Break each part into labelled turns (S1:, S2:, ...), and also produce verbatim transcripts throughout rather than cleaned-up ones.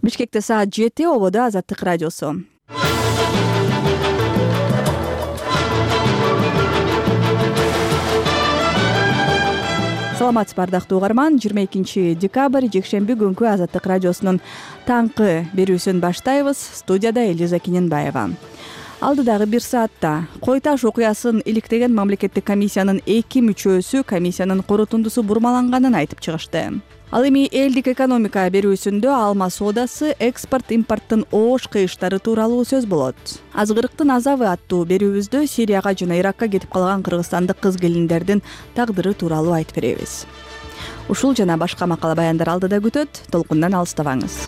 S1: Бишкекте саат жети, ободо Азаттык радиосу. Саламатсызбы ардактуу угарман, жыйырма экинчи декабрь жекшемби күнкү Азаттык радиосунун таңкы берүүсүн баштайбыз. Студияда Элиза Кененбаева. Алдыдагы бир саатта Кой Таш окуясын иликтеген мамлекеттик комиссиянын эки мүчөсү комиссиянын корутундусу бурмаланганын айтып чыгышты. Ал эми элдик экономика берүүсүндө алма соодасы, экспорт-импорттун оош кыйыштары тууралуу сөз болот. Азгырыктын азабы аттуу берүүбүздө Сирияга жана Иракка кетип калган кыргызстандык кыз-келиндердин тагдыры тууралуу айтып беребиз. Ушул жана башка макала баяндар алдыда күтөт, толкундан алыстабаңыз.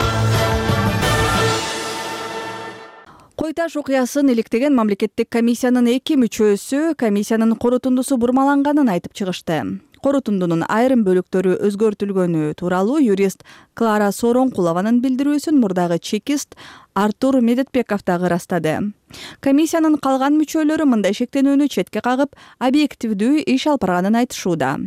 S1: Кой Таш окуясын иликтеген мамлекеттик комиссиянын эки мүчөсү комиссиянын корутундусу бурмаланганын айтып чыгышты. Корутундунун айрым бөлүктөрү өзгөртүлгөнү тууралуу юрист Клара Сооронкулованын билдирүүсүн мурдагы чекист Артур Медетбеков дагы ырастады. Комиссиянын калган мүчөлөрү мындай шектенүүнү четке кагып, объективдүү иш алып барганын айтышууда.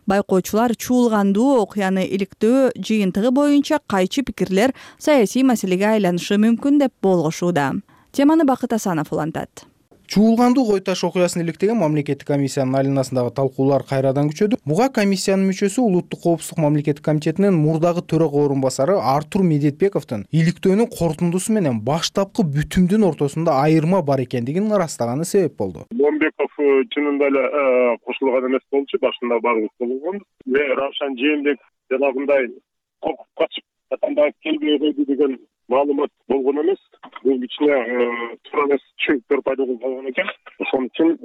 S1: Байкоочулар чуулгандуу окуяны иликтөө жыйынтыгы боюнча кайчы пикирлер саясий маселеге айланышы мүмкүн деп болгошууда. Теманы Бакыт Асанов улантат.
S2: Чуулгандуу Кой Таш окуясын иликтеген мамлекеттик комиссиянын айланасындагы талкуулар кайрадан күчөдү. Буга комиссиянын мүчөсү Улуттук коопсуздук мамлекеттик комитетинин мурдагы төрага орун басары Артур Медетбековдун иликтөөнүн корутундусу менен баштапкы бүтүмдүн ортосунда айырма бар экендигин ырастаганы себеп болду.
S3: Момбеков чынында эле кошулган эмес болчу, башында баарыбыз болгонбуз. Равшан Жээнбеков жанагындай коркуп качып Атамбаев келбей койду деген маалымат болгон эмес. Бул кичине туура эмес чөйүктөр пайда болуп калган экен. Ошон үчүн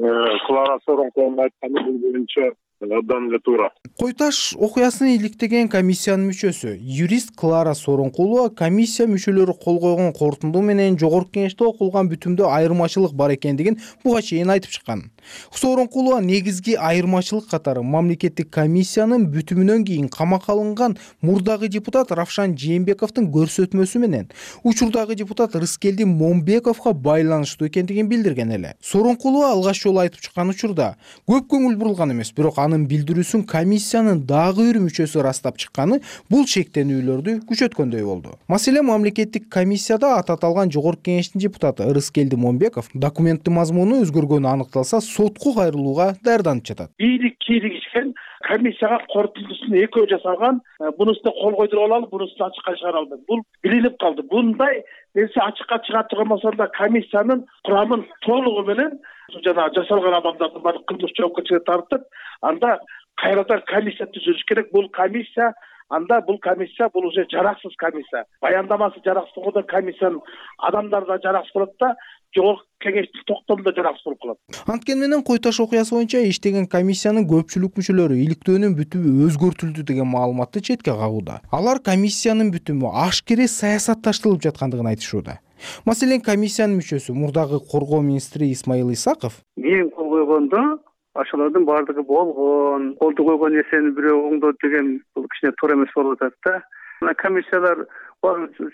S3: Клара Сооронкулованын айтканы бул боюнча абдан эле туура.
S2: Кой Таш окуясын иликтеген комиссиянын мүчөсү юрист Клара Сооронкулова комиссия мүчөлөрү кол койгон корутунду менен жогорку кеңеште окулган бүтүмдө айырмачылык бар экендигин буга чейин айтып чыккан. Сооронкулова негизги айырмачылык катары мамлекеттик комиссиянын бүтүмүнөн кийин камакка алынган мурдагы депутат Равшан Жээнбековдун көрсөтмөсү менен учурдагы депутат Рыскелди Момбековго байланыштуу экендигин билдирген эле. Сооронкулова алгач жолу айтып чыккан учурда көп көңүл бурулган эмес, бирок анын билдирүүсүн комиссиянын дагы бир мүчөсү ырастап чыкканы бул шектенүүлөрдү күчөткөндөй болду. Маселе мамлекеттик комиссияда аты аталган жогорку кеңештин депутаты Рыскелди Момбеков документтин мазмуну өзгөргөнү аныкталса сотко кайрылууга даярданып жатат.
S4: Ийрик кийлигишкен комиссияга корутундусун экөө жасалган, бунусуна кол койдуруп алалы, бунусун ачыкка чыгара албайт. Бул билинип калды. Bunday нерсе ачыкка чыга турган да комиссиянын курамын толугу менен жана жасалган адамдардын баары кылмыш жоопкерчиликке тартып, анда кайрадан комиссия түзүлүш керек. Бул комиссия анда бул комиссия бул уже жараксыз комиссия. Баяндамасы жараксыз болгондо комиссиянын адамдары да жараксыз болот да, жогорку кеңештин токтому да жараксыз болуп калат.
S2: Анткени менен Кой Таш окуясы боюнча иштеген комиссиянын көпчүлүк мүчөлөрү иликтөөнүн бүтүмү өзгөртүлдү деген маалыматты четке кагууда. Алар комиссиянын бүтүмү ашкере саясатташтырылып жаткандыгын айтышууда. Маселен, комиссиянын мүчөсү мурдагы коргоо министри Исмаил Исаков
S5: мен кол койгондо ашалардын баардыгы болгон, колду койгон нерсени бирөө оңдоду деген бул кичине туура эмес болуп атат да. Мына комиссиялар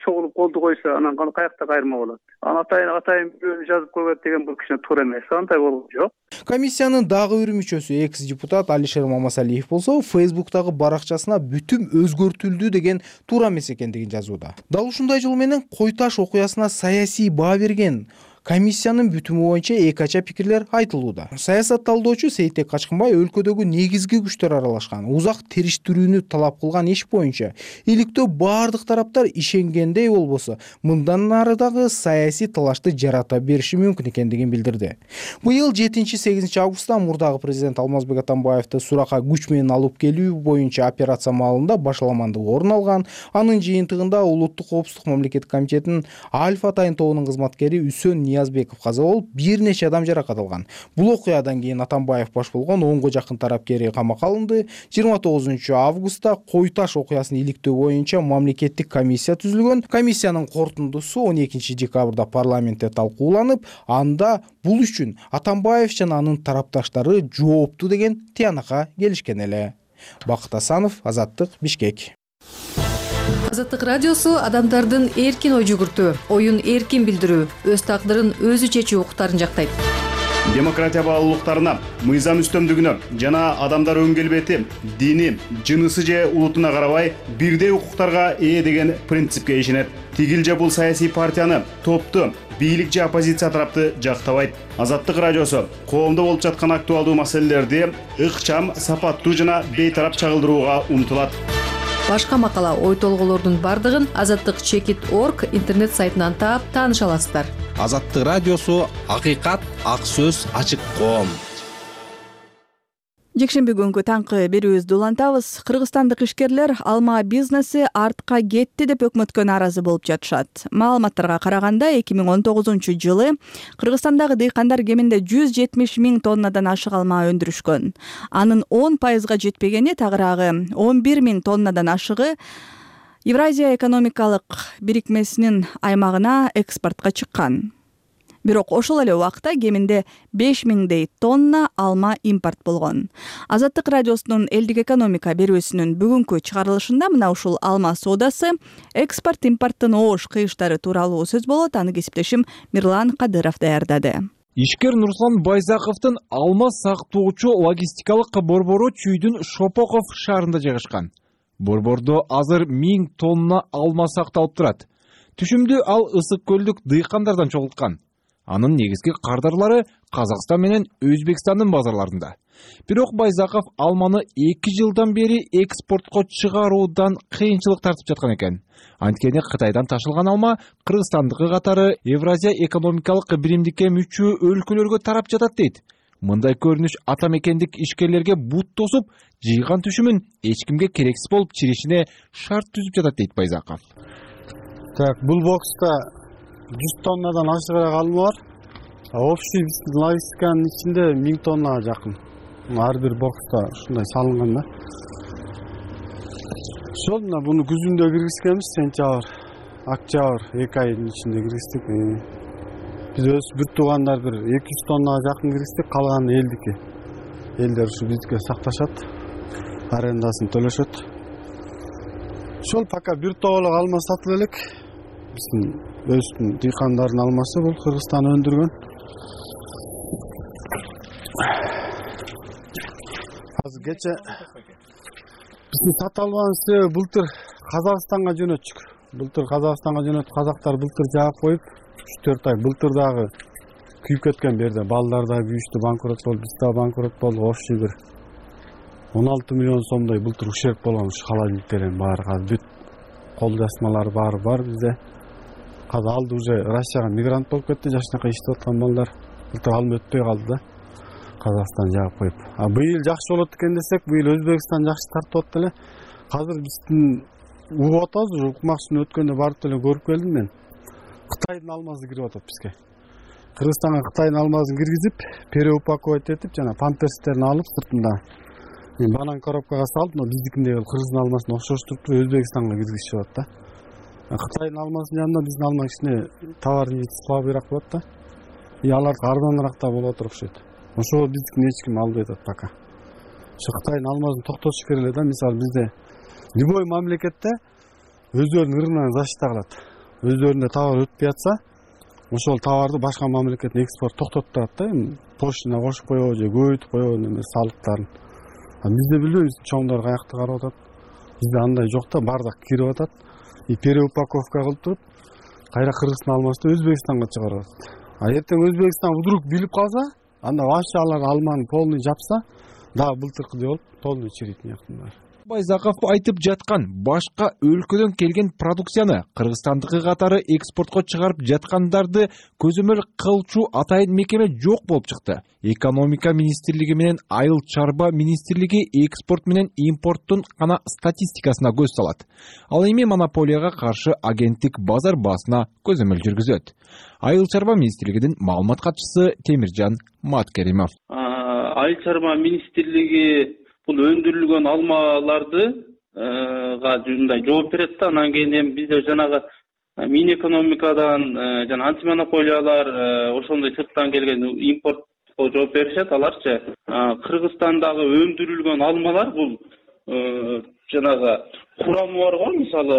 S5: чогулуп колду койсо анан каякта кайырма болот. Анан атайын атайын бирөөнү жазып койгон деген бул кичине туура эмес. Андай болгон жок.
S2: Комиссиянын дагы бир мүчөсү экс-депутат Алишер Мамасалиев болсо Фейсбуктагы баракчасына бүтүм өзгөртүлдү деген туура эмес экендигин жазууда. Дал ушундай жол менен Кой Таш окуясына саясий баа берген комиссиянын бүтүмү боюнча эки ача пикирлер айтылууда. Саясат талдоочу Сейтек Качкынбай өлкөдөгү негизги күчтөр аралашкан, узак териштирүүнү талап кылган иш боюнча иликтөө баардык тараптар ишенгендей болбосо, мындан ары дагы саясий талашты жарата бериши мүмкүн экендигин билдирди. Быйыл жетинчи-сегизинчи августта мурдагы президент Алмазбек Атамбаевди суракка күч менен алып келүү боюнча операция маалында башаламандык орун алган. Анын жыйынтыгында Улуттук коопсуздук мамлекеттик комитетинин Альфа Атайын тобунун кызматкери Үсөн Ниязбеков каза болуп, бир нече адам жаракат алган. Бул окуядан кийин Атамбаев баш болгон онго жакын тарапкери камакка алынды. жыйырма тогузунчу августта Кой Таш окуясын иликтөө боюнча мамлекеттик комиссия түзүлгөн. Комиссиянын корутундусу он экинчи декабрда парламентте талкууланып, анда бул үчүн Атамбаев жана анын тарапташтары жоопту деген тыянакка келишкен эле. Бакыт Асанов, Азаттык, Бишкек.
S6: Азаттык радиосу адамдардын эркин ой жүгүртүү, оюн эркин билдирүү, өз тагдырын өзү чечүү укуктарын жактайт.
S7: демократия баалуулуктарына, мыйзам үстөмдүгүнө жана адамдар өң келбети, дини, жынысы же улутуна карабай бирдей укуктарга ээ деген принципке ишенет. Тигил же бул саясий партияны, топту, бийлик же оппозиция тарапты жактабайт. Азаттык радиосу коомдо болуп жаткан актуалдуу маселелерди ыкчам, сапаттуу жана бейтарап чагылдырууга умтулат.
S6: Башка макала, ой толголордун бардыгын азаттык чекит точка орг интернет сайтынан таап тааныша аласыздар.
S8: Азаттык радиосу акыйкат, ак сөз, ачык коом.
S1: Жекшемби күнгү таңкы берүүбүздү улантабыз. Кыргызстандык ишкерлер алма бизнеси артка кетти деп өкмөткө нааразы болуп жатышат. Маалыматтарга караганда эки миң он тогузунчу жылы Кыргызстандагы дыйкандар кеминде жүз жетимиш миң тоннадан ашык алма өндүрүшкөн. Анын он пайызга жетпегени, тагыраагы он бир миң тоннадан ашыгы Евразия экономикалык бирикмесинин аймагына экспортко чыккан. Бирок ошол эле убакта кеминде беш миңдей тонна алма импорт болгон. Азаттык радиосунун элдик экономика берүүсүнүн бүгүнкү чыгарылышында мына ушул алма соодасы, экспорт-импорттун оош кыйыштары тууралуу сөз болот. Аны кесиптешим Мирлан Кадыров даярдады.
S9: Ишкер Нурслан Байзаковдун алма сактоочу логистикалык борбору Чүйдүн Шопоков шаарында жайгашкан. Борбордо азыр миң тонна алма сакталып турат. Түшүмдү ал Ысык көлдүк дыйкандардан чогулткан. Анын негизги кардарлары Казакстан менен Өзбекстандын базарларында. Бирок Байзаков алманы эки жылдан бери экспортко чыгаруудан кыйынчылык тартып жаткан экен. Анткени Кытайдан ташылган алма Кыргызстандыкы катары Евразия экономикалык биримдикке мүчө өлкөлөргө тарап жатат дейт. Мындай көрүнүш ата мекендик ишкерлерге бут тосуп, жыйган түшүмүн эч кимге керексиз болуп чиришине шарт түзүп жатат дейт Байзаков.
S10: Так, бул бокста жүз тоннадан ашыгыраак алма бар. Общий логистиканын ичинде миң тоннага жакын. Ар бир бокста ушундай салынган да. Ошол мына буну күзүндө киргизгенбиз, сентябрь, октябрь эки айдын ичинде киргиздик. Биз өз бир туугандар бир эки жүз тоннага жакын киргиздик, калганы элдики. Элдер ушу бизге сакташат, арендасын төлөшөт. Ошол пока бир тоголок алма сатып элек. Биздин өздүн дыйкандардын алмасы бул Кыргызстан өндүргөн. Азыр кече биздин сата албаган себеби былтыр Казакстанга жөнөттүк. Былтыр Казакстанга жөнөтүп, казактар былтыр жаап коюп, үч төрт ай былтыр дагы күйүп кеткен берде. Балдар да күйүштү, банкрот болду, биз да банкрот болдук. Общий бир он алты миллион сомдой былтыр ущерб болгон ушу холодильниктердин баары. Азыр бүт кол жазмалар баары бар бизде. Казыр алды уже Россияга мигрант болуп кетти, жашынака иштеп аткан балдар. Былтыр алым өтпөй калды да. Казакстан жаап коюп. А быйыл жакшы болот экен десек, быйыл Өзбекстан жакшы тартып атты эле. Азыр биздин угуп атабыз, уже укмакчыны өткөндө барып эле көрүп келдим мен. Кытайдын алмасы кирип атат бизге. Кыргызстанга Кытайдын алмасын киргизип, переупаковать этип, жана памперстерин алып сыртында мен банан коробкага салып, но биздикиндей кыргыздын алмасын окшоштуруп Өзбекстанга киргизишип атат да. Кытайдын алмасынын жанында биздин алма кичине товарный вид слабыйраак болот да. И алар арзаныраак да болот окшойт. Ошо биздикин эч ким албай атат пока. Ошо Кытайдын алмасын токтотуш керек эле да. Мисалы бизде любой мамлекетте өздөрүнүн рыногун защита кылат. Өздөрүндө товар өтпөй атса, ошол товарды башка мамлекетке экспорт токтотуп турат да. Поштина кошуп коебу же көбөйтүп коебу неме салыктарын. А бизде билбейбиз чоңдор каякта карап атат. Бизде андай жок да, бардык кирип атат. И переупаковка кылып туруп, кайра Кыргызстан алмасын Өзбекстанга чыгарып атат. А эртең Өзбекстан вдруг билип калса, анда вообще алар алманы полный жапса, дагы былтыркыдай болуп, полный чирийт мыяктан.
S9: Байзаков айтып жаткан башка өлкөдөн келген продукцияны Кыргызстандыкы катары экспортко чыгарып жаткандарды көзөмөл кылчу атайын мекеме жок болуп чыкты. Экономика министрлиги менен Айыл чарба министрлиги экспорт менен импорттун гана статистикасына көз салат. Ал эми монополияга каршы агенттик базар баасына көзөмөл жүргүзөт. Айыл чарба министрлигинин маалымат катчысы Темиржан Маткеримов.
S11: Айыл чарба министрлиги бул өндүрүлгөн алмаларды мындай жооп берет да. Анан кийин эми бизде жанагы Минэкономикадан жана антимонополиялар ошондой сырттан келген импортко жооп беришет. Аларчы Кыргызстандагы өндүрүлгөн алмалар бул жанагы курамы бар го, мисалы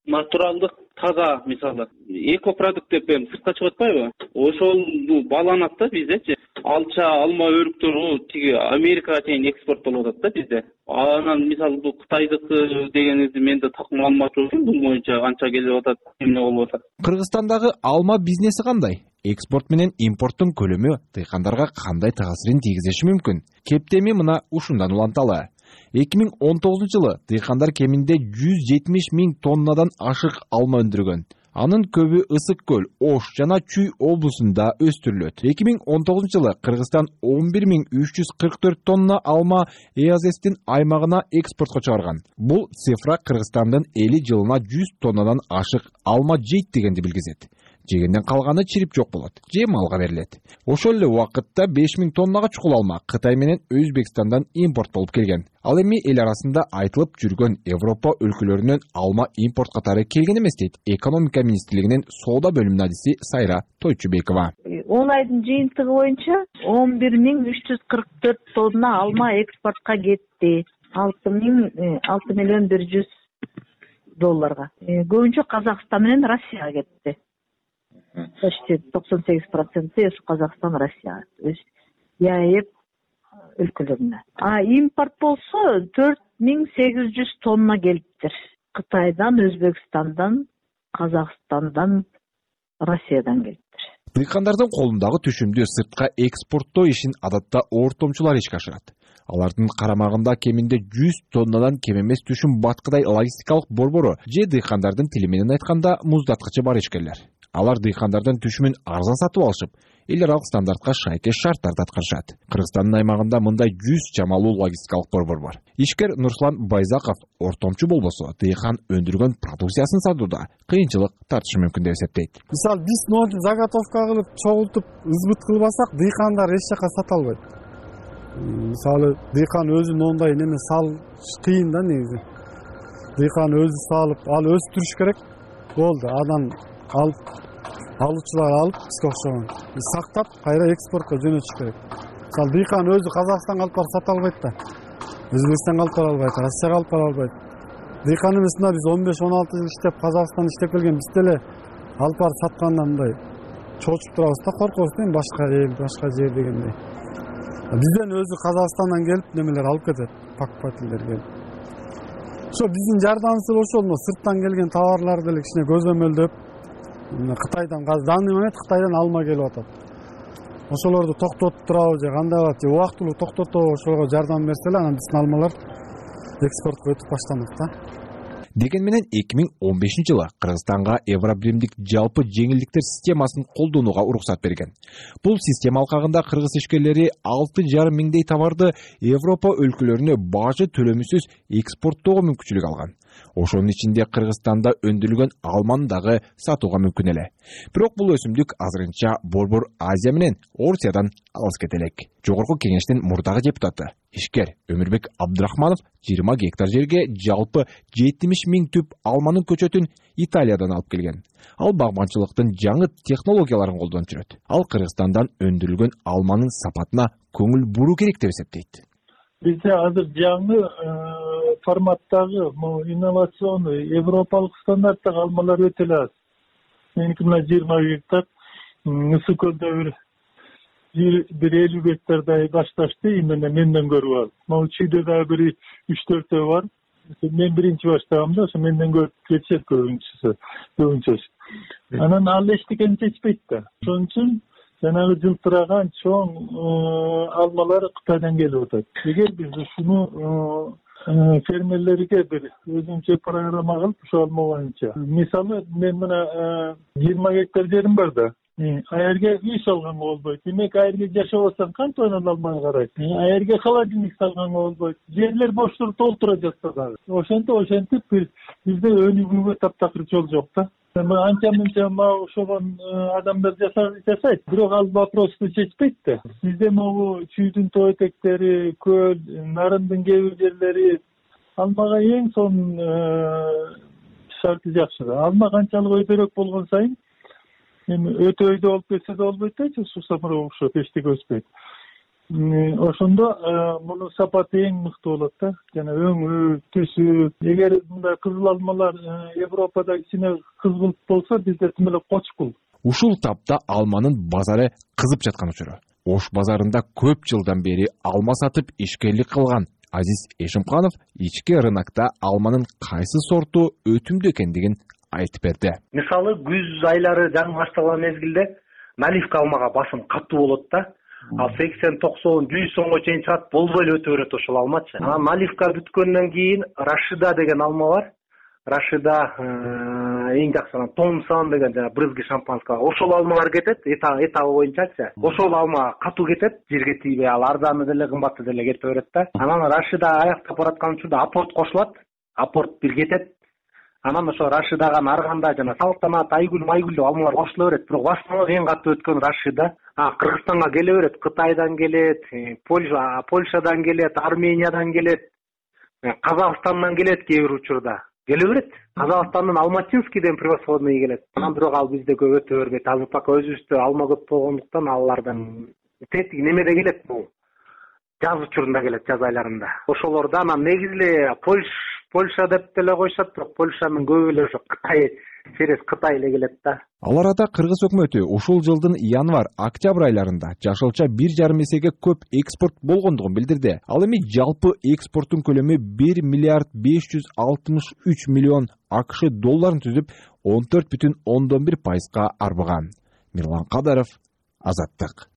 S11: натуралдык таза мисалы экопродукт деп эми сыртка чыгып атпайбы, ошол бааланат да биздечи. Алча, алма өрүктөрү тиги Америкага чейин экспорттолуп атат да бизде. Анан мисалы бул Кытайдыкы дегенибизди мен да так маалымат жок, бул боюнча канча келип атат, эмне болуп атат.
S9: Кыргызстандагы алма бизнеси кандай? Экспорт менен импорттун көлөмү дыйкандарга кандай таасирин тийгизиши мүмкүн? Кептеми мына ушундан уланталы. эки миң он тогузунчу жылы дыйкандар кеминде жүз жетимиш миң тоннадан ашык алма өндүргөн. Анын көбү Ысык көл, Ош жана Чүй облусунда өстүрүлөт. эки миң он тогузунчу жылы Кыргызстан он бир миң үч жүз кырк төрт тонна алма ЭАЗэстин аймагына экспортко чыгарган. Бул цифра Кыргызстандын эли жылына жүз тоннадан ашык алма жейт дегенди билгизет. Жегенден калганы чирип жок болот, же малга берилет. Ошол эле убакытта беш миң тоннага чукул алма Кытай менен Өзбекстандан импорт болуп келген. Ал эми эл арасында айтылып жүргөн Европа өлкөлөрүнөн алма импорт катары келген эмес дейт экономика министрлигинин соода бөлүмүнүн адиси Сайра Тойчубекова.
S12: он айдын жыйынтыгы боюнча он бир миң үч жүз кырк төрт тонна алма экспортко кетти. алты миллион бир жүз долларга. Көбүнчө Казакстан менен Россияга кетти. Почти токсон сегиз проценти Казакстан, Россия, ЯЭП өлкөлөрүнө. А импорт болсо төрт миң сегиз жүз тонна келиптир. Кытайдан, Өзбекстандан, Казакстандан, Россиядан келиптир.
S9: Дыйкандардын колундагы түшүмдү сыртка экспорттоо ишин адатта ортомчулар ишке ашырат. Алардын карамагында кеминде жүз тоннадан кем эмес түшүм баткыдай логистикалык борбору же дыйкандардын тили менен айтканда муздаткычы бар ишкерлер. Алар дыйкандардын түшүмүн арзан сатып алышып, эл аралык стандартка шайкеш шарттарды аткарышат. Кыргызстандын аймагында мындай жүз чамалуу логистикалык борбор бар. Ишкер Нурсулан Байзаков ортомчу болбосо, дыйкан өндүргөн продукциясын сатууда кыйынчылык тартышы мүмкүн деп эсептейт.
S10: Мисалы, биз нооту заготовка кылып, чогултуп, ызбыт кылбасак, дыйкандар эч жака сата албайт. Мисалы, дыйкан өзү моундай неме сал кыйын да негизи. Дыйкан өзү салып, ал өстүрүш керек. Болду, анан алып алуучулар алып бизге окшогон сактап кайра экспортко жөнөтүш керек. Мисалы, дыйкан өзү Казакстанга алып барып сата албайт да, Өзбекстанга алып бара албайт, Россияга алып бара албайт. Дыйкан эмесинде биз он беш он алты жыл иштеп, Казакстанда иштеп келген, биз деле алып барып сатканда мындай чоочуп турабыз да, коркобуз да, башка эл, башка жер дегендей. Бизден өзү Казакстандан келип немелер алып кетет, покупательдер келип. Ошо биздин жардамыбыз ошол, сырттан келген товарларды деле кичине көзөмөлдөп, Кытайдан, данный момент Кытайдан алма келип атат. Ошолорду токтотуп турабы же кандай болот, же убактылуу токтотобу, ошого жардам берселе, анан биздин алмалар экспортко өтүп баштанат да.
S9: Деген менен эки миң он бешинчи жылы Кыргызстанга Евробиримдик жалпы жеңилдиктер системасын колдонууга уруксат берген. Бул система алкагында кыргыз ишкерлери алты жарым миңдей товарды Европа өлкөлөрүнө бажы төлөмүсүз экспорттоого мүмкүнчүлүк алган. Ошонун ичинде Кыргызстанда өндүрүлгөн алманы дагы сатууга мүмкүн эле. Бирок бул өсүмдүк азырынча Борбор Азия менен Орусиядан алыс кете элек. Жогорку Кеңештин мурдагы депутаты, ишкер Өмүрбек Абдрахманов жыйырма гектар жерге жалпы жетимиш миң түп алманын көчөтүн Италиядан алып келген. Ал багбанчылыктын жаңы технологияларын колдонуп жүрөт. Ал Кыргызстандан өндүрүлгөн алманын сапатына көңүл буруу керек деп эсептейт.
S13: Бизде азыр жаңы форматтагы инновационный европалык стандарттагы алмалар өтө эле аз. Меники мына жыйырма гектар, Ысык көлдө бир бир элүү гектардай башташты, именно менден көрүп алып. Могу Чүйдө дагы бир үч төртөө бар. Мен биринчи баштагам да, ошо менден көрүп кетишет көбүнчөсү, көбүнчөсү. Анан ал эчтекени чечпейт да. Ошон үчүн жанагы жылтыраган чоң алмалар Кытайдан келип атат. Эгер биз ушуну фермерлерге бир өзүнчө программа кылып, ошол алма боюнча. Мисалы, мен мына жыйырма гектар жерим бар да. Аерге үй салганга болбойт. Демек, аерге жашабасаң кантип анан алманы карайт? Аерге холодильник салганга болбойт. Жерлер боштуруп толтура жатса дагы. Ошентип, ошентип бизде өнүгүүгө таптакыр жол жок да. Анча-мынча ошогон адамдар жасайт, бирок ал вопросту чечпейт да. Бизде могу Чүйдүн тоо этектери, көл, Нарындын кээ бир жерлери алмага эң сонун шарты жакшы да. Алма канчалык өйдөрөөк болгон сайын, эми өтө өйдө болуп кетсе да болбойт да, суу самыроо окшоп эчтеке өспөйт. ошондо мунун сапаты эң мыкты болот да. Жана өңү, түсү. Эгер мындай кызыл алмалар Европада кичине кызгылт болсо, бизде тим эле кочкул.
S9: Ушул тапта алманын базары кызып жаткан учуру. Ош базарында көп жылдан бери алма сатып ишкерлик кылган Азиз Эшимканов ички рынокто алманын кайсы сорту өтүмдүү экендигин айтып берди.
S14: Мисалы күз айлары жаңы башталган мезгилде наливка алмага басым катуу болот да. Ал сексен, токсон, жүз сомго чейин чыгат, болбой эле өтө берет ошол алмачы. Анан наливка бүткөндөн кийин Рашида деген алма бар. Рашида эң жакшы Томсон деген жана брызги шампанского. Ошол алмалар кетет, этабы боюнчачы. Ошол алма катуу кетет, жерге тийбей, ал арзаны деле, кымбаты деле кете берет да. Анан Рашида аяктап бараткан учурда апорт кошулат. Апорт бир кетет. Анан ошо Рашидага нарганда жана Салтанат, Айгүл, Майгүл деп алмалар кошула берет. Бирок башынан эң катуу өткөн Рашида. А Кыргызстанга келе берет, Кытайдан келет, Польша, Польшадан келет, Армениядан келет, Казакстандан келет кээ бир учурда. Келе берет. Казакстандын Алматинский деген превосходный келет. Анан бирок ал бизде көп өтө бербейт. Азыр пока өзүбүздө алма көп болгондуктан алардан тетиги немеде келет бул. Жаз учурунда келет, жаз айларында. Ошолорда анан негизи эле Польш Польша деп деле койшот, бирок Польшанын көбү эле ошо Кытай, через Кытай эле келет да.
S9: Ал арада Кыргыз өкмөтү ушул жылдын январь-октябрь айларында жашылча бир жарым эсеге көп экспорт болгондугун билдирди. Ал эми жалпы экспорттун көлөмү бир миллиард беш жүз алтымыш үч миллион АКШ долларын түзүп, он төрт бүтүн ондон бир пайызга арбыган. Мирлан Кадаров, Азаттык.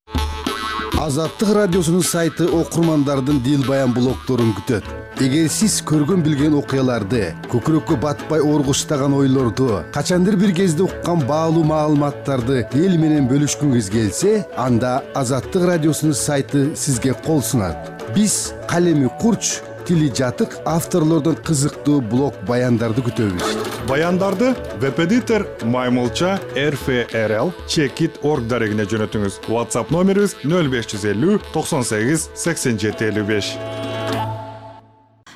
S15: Азаттык радиосунун сайты окурмандардын дил баян блогдорун күтөт. Эгер сиз көргөн билген окуяларды, көкүрөккө батпай оргуштаган ойлорду, качандыр бир кезде уккан баалуу маалыматтарды эл менен бөлүшкүңүз келсе, анда Азаттык радиосунун сайты сизге кол сунат. Биз калеми курч, тили жатык авторлордон кызыктуу блог баяндарды күтөбүз.
S16: Баяндарды веб-эдитор Маймылча эр эф эр эл чекит точка орг дарегине жөнөтүңүз. WhatsApp номерибиз нөл беш жүз элүү токсон сегиз сексен жети элүү беш.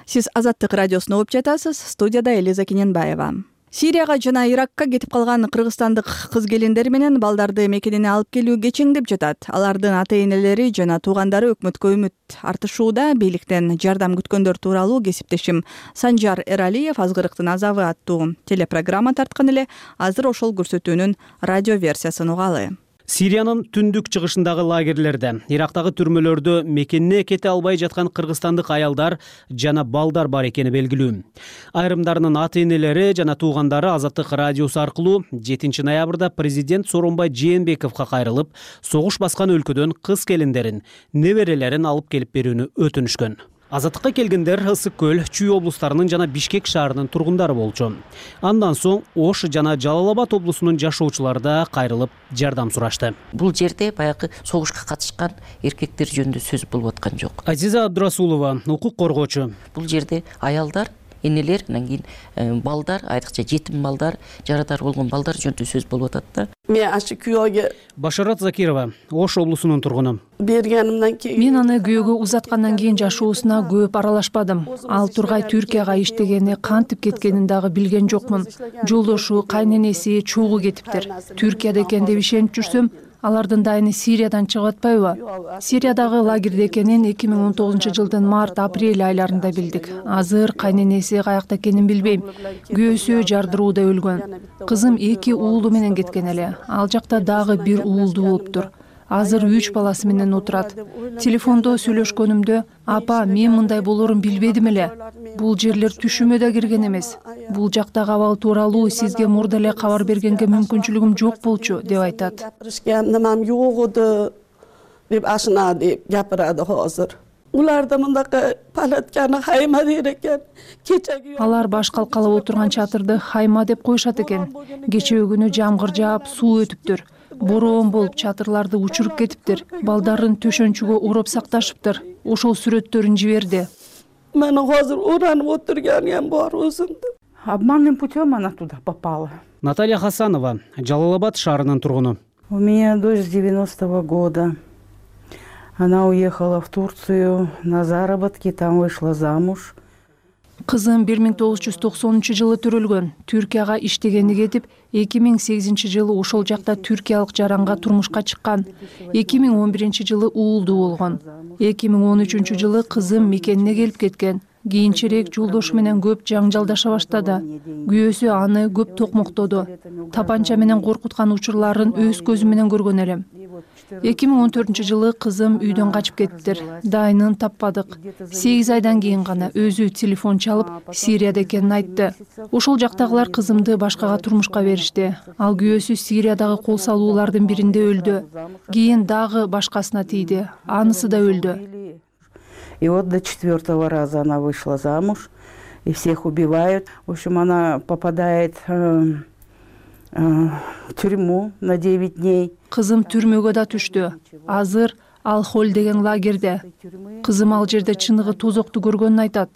S1: Сиз Азаттык радиосуна угуп жатасыз. Студияда Элиза Кененбаева. Сирияга жана Иракка кетип калган кыргызстандык кыз-келиндер менен балдарды мекенине алып келүү кечеңдеп жатат. Алардын ата-энелери жана туугандары өкмөткө үмүт артышууда. Бийликтен жардам күткөндөр тууралуу кесиптешим Санжар Эралиев «Азгырыктын азабы» аттуу телепрограмма тарткан эле. Азыр ошол көрсөтүүнүн радио версиясын угалы.
S17: Сириянын түндүк чыгышындагы лагерлерде, Ирактагы түрмөлөрдө мекенине кете албай жаткан кыргызстандык аялдар жана балдар бар экени белгилүү. Айрымдарынын ата-энелери жана туугандары Азаттык радиосу аркылуу жетинчи ноябрда президент Сооронбай Жээнбековго кайрылып, согуш баскан өлкөдөн кыз-келиндерин, неберелерин алып келип берүүнү өтүнүшкөн. Азаттыкка келгендер Ысык көл, Чүй облустарынын жана Бишкек шаарынын тургундары болчу. Андан соң Ош жана Жалал Абад облусунун жашоочулары да кайрылып жардам сурашты.
S18: Бул жерде баягы согушка катышкан эркектер жөнүндө сөз болуп аткан жок.
S17: Азиза Абдурасулова, укук коргоочу.
S18: Бул жерде аялдар, энелер, анан кийин балдар, айрыкча жетим балдар, жарадар болгон балдар жөнүндө сөз болуп атат да.
S19: Мен ашы күйөөгө
S17: Башарат Закирова, Ош облусунун тургуну.
S19: Бергенimden кийин
S20: мен аны күйөөгө узаткандан кийин жашоосуна көп аралашпадым. Ал тургай Түркияга иштегени, кантип кеткенин дагы билген жокмун. Жолдошу, кайненеси, чогуу кетиптир. Түркияда экен деп ишенип жүрсөм, алардын дайыны Сириядан чыгып атпайбы? Сириядагы лагерде экенин эки миң он тогузунчу жылдын март-апрель айларында билдик. Азыр кайненеси каякта экенин билбейм. Күйөөсү жардырууда өлгөн. Кызым эки уулу менен кеткен эле. Ал жакта дагы бир уулду болуптур. Азыр үч баласы менен отурат. Телефондо сүйлөшкөнүмдө, апа, мен мындай болорун билбедим эле. Бул жерлер түшүмө да кирген эмес. Бул жактагы абал тууралуу сизге мурда эле кабар бергенге мүмкүнчүлүгүм жок болчу деп айтат.
S19: Немем жок эди деп ашына деп жапырады азыр. Уларда мындакы палатканы хайма дейт экен. Кечеги
S20: алар баш калкалап отурган чатырды хайма деп коюшат экен. Кечээ күнү жамгыр жаап, суу өтүптүр. Бороон болуп чатырларды учуруп кетиптир. Балдарын төшөнчүгө уруп сакташыптыр. Ошол сүрөттөрүн жиберди.
S19: Мен азыр уранып отурганым бар өзүмдү.
S21: Обманным путем она туда попала.
S17: Наталья Хасанова, Жалал Абад шаарынын тургуну.
S21: У меня дочь девяностого года. Она уехала в Турцию на заработки, там вышла замуж.
S20: Кызым бир миң тогуз жүз токсонунчу жылы төрөлгөн. Түркияга иштегени кетип, эки миң сегизинчи жылы ошол жакта түркиялык жаранга турмушка чыккан. эки миң он биринчи жылы уулдуу болгон. эки миң он үчүнчү жылы кызым мекенине келип кеткен. Кийинчерээк жолдошу менен көп жаңжалдаша баштады. Күйөөсү аны көп токмоктоду. Тапанча менен коркуткан учурларын өз көзүм менен көргөн элем. эки миң он төртүнчү жылы кызым үйдөн качып кетиптир. Дайынын таппадык. сегиз айдан кийин гана өзү телефон чалып, Сирияда экенин айтты. Ошол жактагылар кызымды башкага турмушка беришти. Ал күйөөсү Сириядагы кол салуулардын биринде өлдү. Кийин дагы башкасына тийди. Анысы да өлдү.
S21: И вот до четвертого раза она вышла замуж, и всех убивают. В общем, она попадает э, э, в тюрьму на девять дней.
S20: Кызым түрмөгө да түштү. Азыр Ал-Холь деген лагерде. Кызым ал жерде чыныгы тозокту көргөнүн айтат.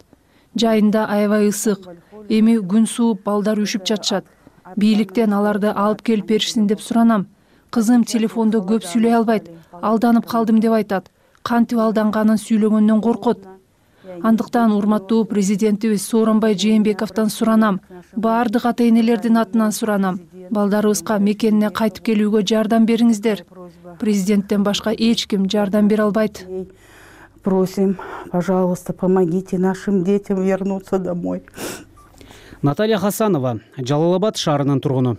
S20: Жайында аябай ысык. Эми күн сууп, балдар үшүп жатышат. Бийликтен аларды алып келип беришсин деп суранам. Кызым телефондо көп сүйлөй албайт. Алданып калдым деп айтат. Кантип алданганын сүйлөгөндөн коркот. Андыктан урматтуу президентибиз Сооронбай Жээнбековдон суранам. Баардык ата-энелердин атынан суранам. Балдарыбызга мекенине кайтып келүүгө жардам бериңиздер. Президенттен башка эч ким жардам бере албайт.
S21: Просим, пожалуйста, помогите нашим детям вернуться домой.
S17: Наталья Хасанова, Жалал Абад шаарынын тургуну.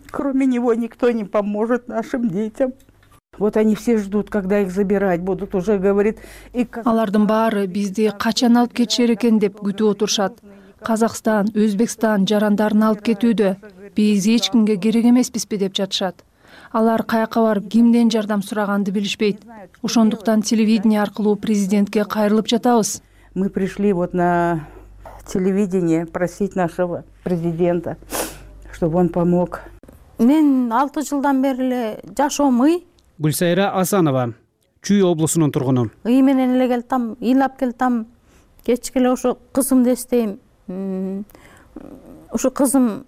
S21: Кроме него никто не поможет нашим детям. Вот они все ждут, когда их забирать будут, уже говорит.
S20: Алардын баары бизди качан алып кетишер экен деп күтүп отурушат. Казакстан, Өзбекстан жарандарын алып кетүүдө. Биз эч кимге керек эмеспизби деп жатышат. Алар каяка барып кимден жардам сураганды билишпейт. Ошондуктан телевидение аркылуу президентке кайрылып жатабыз.
S21: Мы пришли вот на телевидение просить нашего президента, чтобы он помог.
S3: Мен алты жылдан бери эле жашоом ый.
S17: Гүлсайра Асанова, Чүй облусунун тургуну.
S3: Ый менен эле келтам, ыйлап келтам. Кечке эле ошо кызымды эстейм. Ошо кызым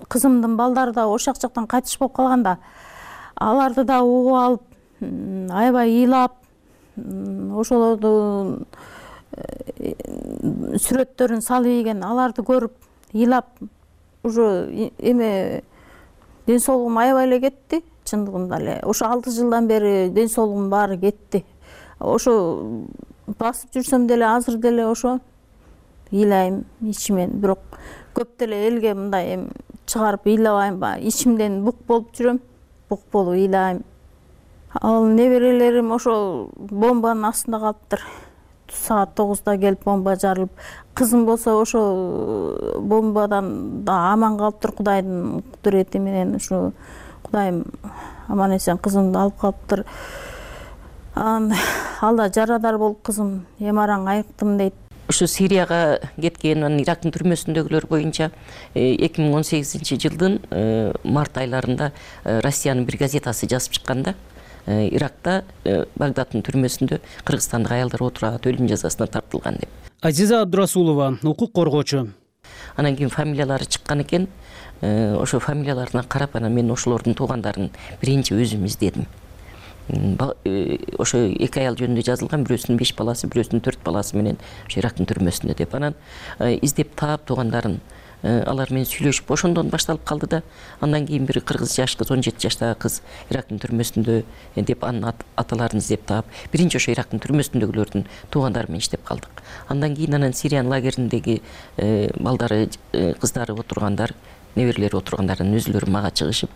S3: кызымдын балдары да ошол жактан кайтыш болуп калганда, аларды да угуп алып, аябай ыйлап, ошолорду сүрөттөрүн салып ийген, аларды көрүп ыйлап, уже эме ден соолугум аябай эле кетти. Чындыгында эле ошо алты жылдан бери ден соолугум баары кетти. Ошо басып жүрсөм деле азыр деле ошо ыйлайм ичимен, бирок көп деле элге мындай эми чыгарып ыйлабайм, ичимден бук болуп жүрөм, бук болуп ыйлайм. Ал неберелерим ошо бомбанын астында калыптыр. Саат тогузда келип бомба жарылып, кызым болсо ошо бомбадан да аман калыптыр, Кудайдын кудурети менен. Ушу Кудайым аман эсен кызымды алып калыптыр. Ал да жарадар болуп кызым эмараң айыктым дейт.
S18: Ушу Сирияга кеткен, анан Ирактын түрмөсүндөгүлөр боюнча эки миң он сегизинчи жылдын март айларында Россиянын бир газетасы жазып чыкканда, Иракта Багдадтын түрмөсүндө кыргызстандык аялдар отурат, өлүм жазасына тартылган деп.
S17: Азиза Абдурасулова, укук коргоочу.
S18: Анан кийин фамилиялары чыккан экен. Ошо фамилияларына карап, анан мен ошолордун туугандарын биринчи өзүм издедим. Ошо эки аял жөнүндө жазылган, бирөөсүнүн беш баласы, бирөөсүнүн төрт баласы менен ошо Ирактын түрмөсүндө деп. Анан издеп таап туугандарын, алар менен сүйлөшүп, ошондон башталып калды да. Андан кийин бир кыргыз жаш кыз, он жети жаштагы кыз Ирактын түрмөсүндө деп анын аталарын издеп таап, биринчи ошо Ирактын түрмөсүндөгүлөрдүн туугандары менен иштеп калдык. Андан кийин анан Сириянын лагериндеги балдары, кыздары отургандар, неберелери отургандарынын өзүлөрү мага чыгышып,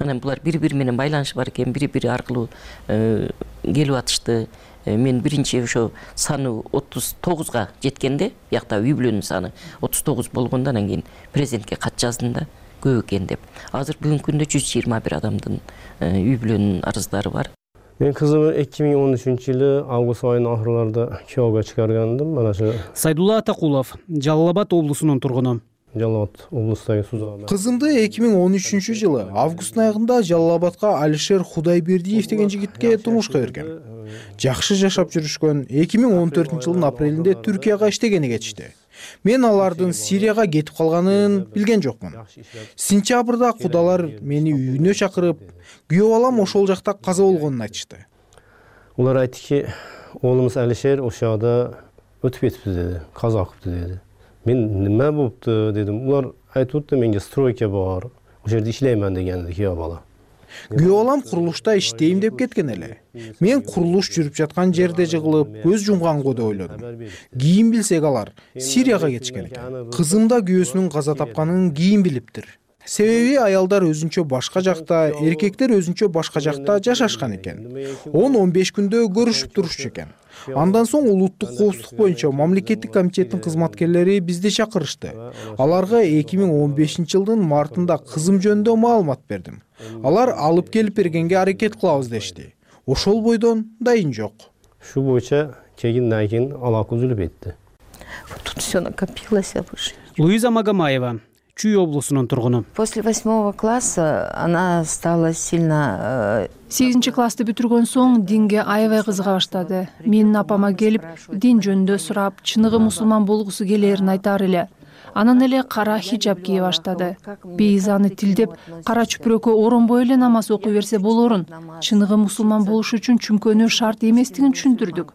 S18: анан булар бири-бири менен байланышы бар экен, бири-бири аркылуу келип атышты. Мен биринчи ошо саны отуз тогузга жеткенде, биякта үй бүлөнүн саны отуз тогуз болгондо, анан кийин президентке кат жаздым да, көп экен деп. Азыр бүгүнкү күндө жүз жыйырма бир адамдын үй бүлөнүн арыздары бар.
S22: Мен кызымды эки миң он үчүнчү жылы август айынын ахырларында күйөөгө чыгаргандым. Mana shu
S17: Сайдулла Атакулов, Жалал Абад облусунун тургуну.
S22: Жалал Абад облустагы Сузагында.
S2: Кызымды эки миң он үчүнчү жылы августтун аягында Жалал Абадка Алишер Кудайбердиев деген жигитке турмушка берген. Жакшы жашап жүрүшкөн. эки миң он төртүнчү жылдын апрелинде Түркияга иштегени кетишти. Мен алардын Сирияга кетип калганын билген жокмун. Сентябрда кудалар мени үйүнө чакырып, күйөө балам ошол жакта каза болгонун айтышты.
S22: Улар айттыки, оğlumuz Алишер ошол жакта өтүп кетипти деди, каза кылыптыр деди. мен неме болупту дедим. Улар айтып атты, менге стройка бар, ошол жерде иштеймин дегенди күйөө бала.
S2: Күйөө балам курулушта иштейм деп кеткен эле. Мен курулуш жүрүп жаткан жерде жыгылып көз жумганго деп ойлодум. Кийин билсек алар Сирияга кетишкен экен. Кызым да күйөөсүнүн каза тапканын кийин билиптир. Себеби аялдар өзүнчө башка жакта, эркектер өзүнчө башка жакта жашашкан экен. он он беш күндө көрүшүп турушчу экен. Андан соң улуттук коопсуздук боюнча мамлекеттик комитеттин кызматкерлери бизди чакырышты. Аларга эки миң он бешинчи жылдын мартында кызым жөнүндө маалымат бердим. Алар алып келип бергенге аракет кылабыз дешти. Ошол бойдон дайын жок.
S22: Шу боюнча кегинден кийин алака үзүлүп кетти.
S18: Тут все накопилось выше.
S17: Луиза Магомаева, Чүй облусунун тургуну.
S4: После восьмого класса она стала сильно...
S20: сегизинчи классты бүтүргөн соң динге аябай кызыга баштады. Менин апама келип, дин жөнүндө сурап, чыныгы мусулман болгусу келээрин айтар эле. Анан эле кара хиджаб кие баштады. Бейзаны тилдеп, кара чүпүрөккө оронбой эле намаз окуй берсе болорун. Чыныгы мусулман болуш үчүн чүмкөнүү шарт эместигин түшүндүрдүк.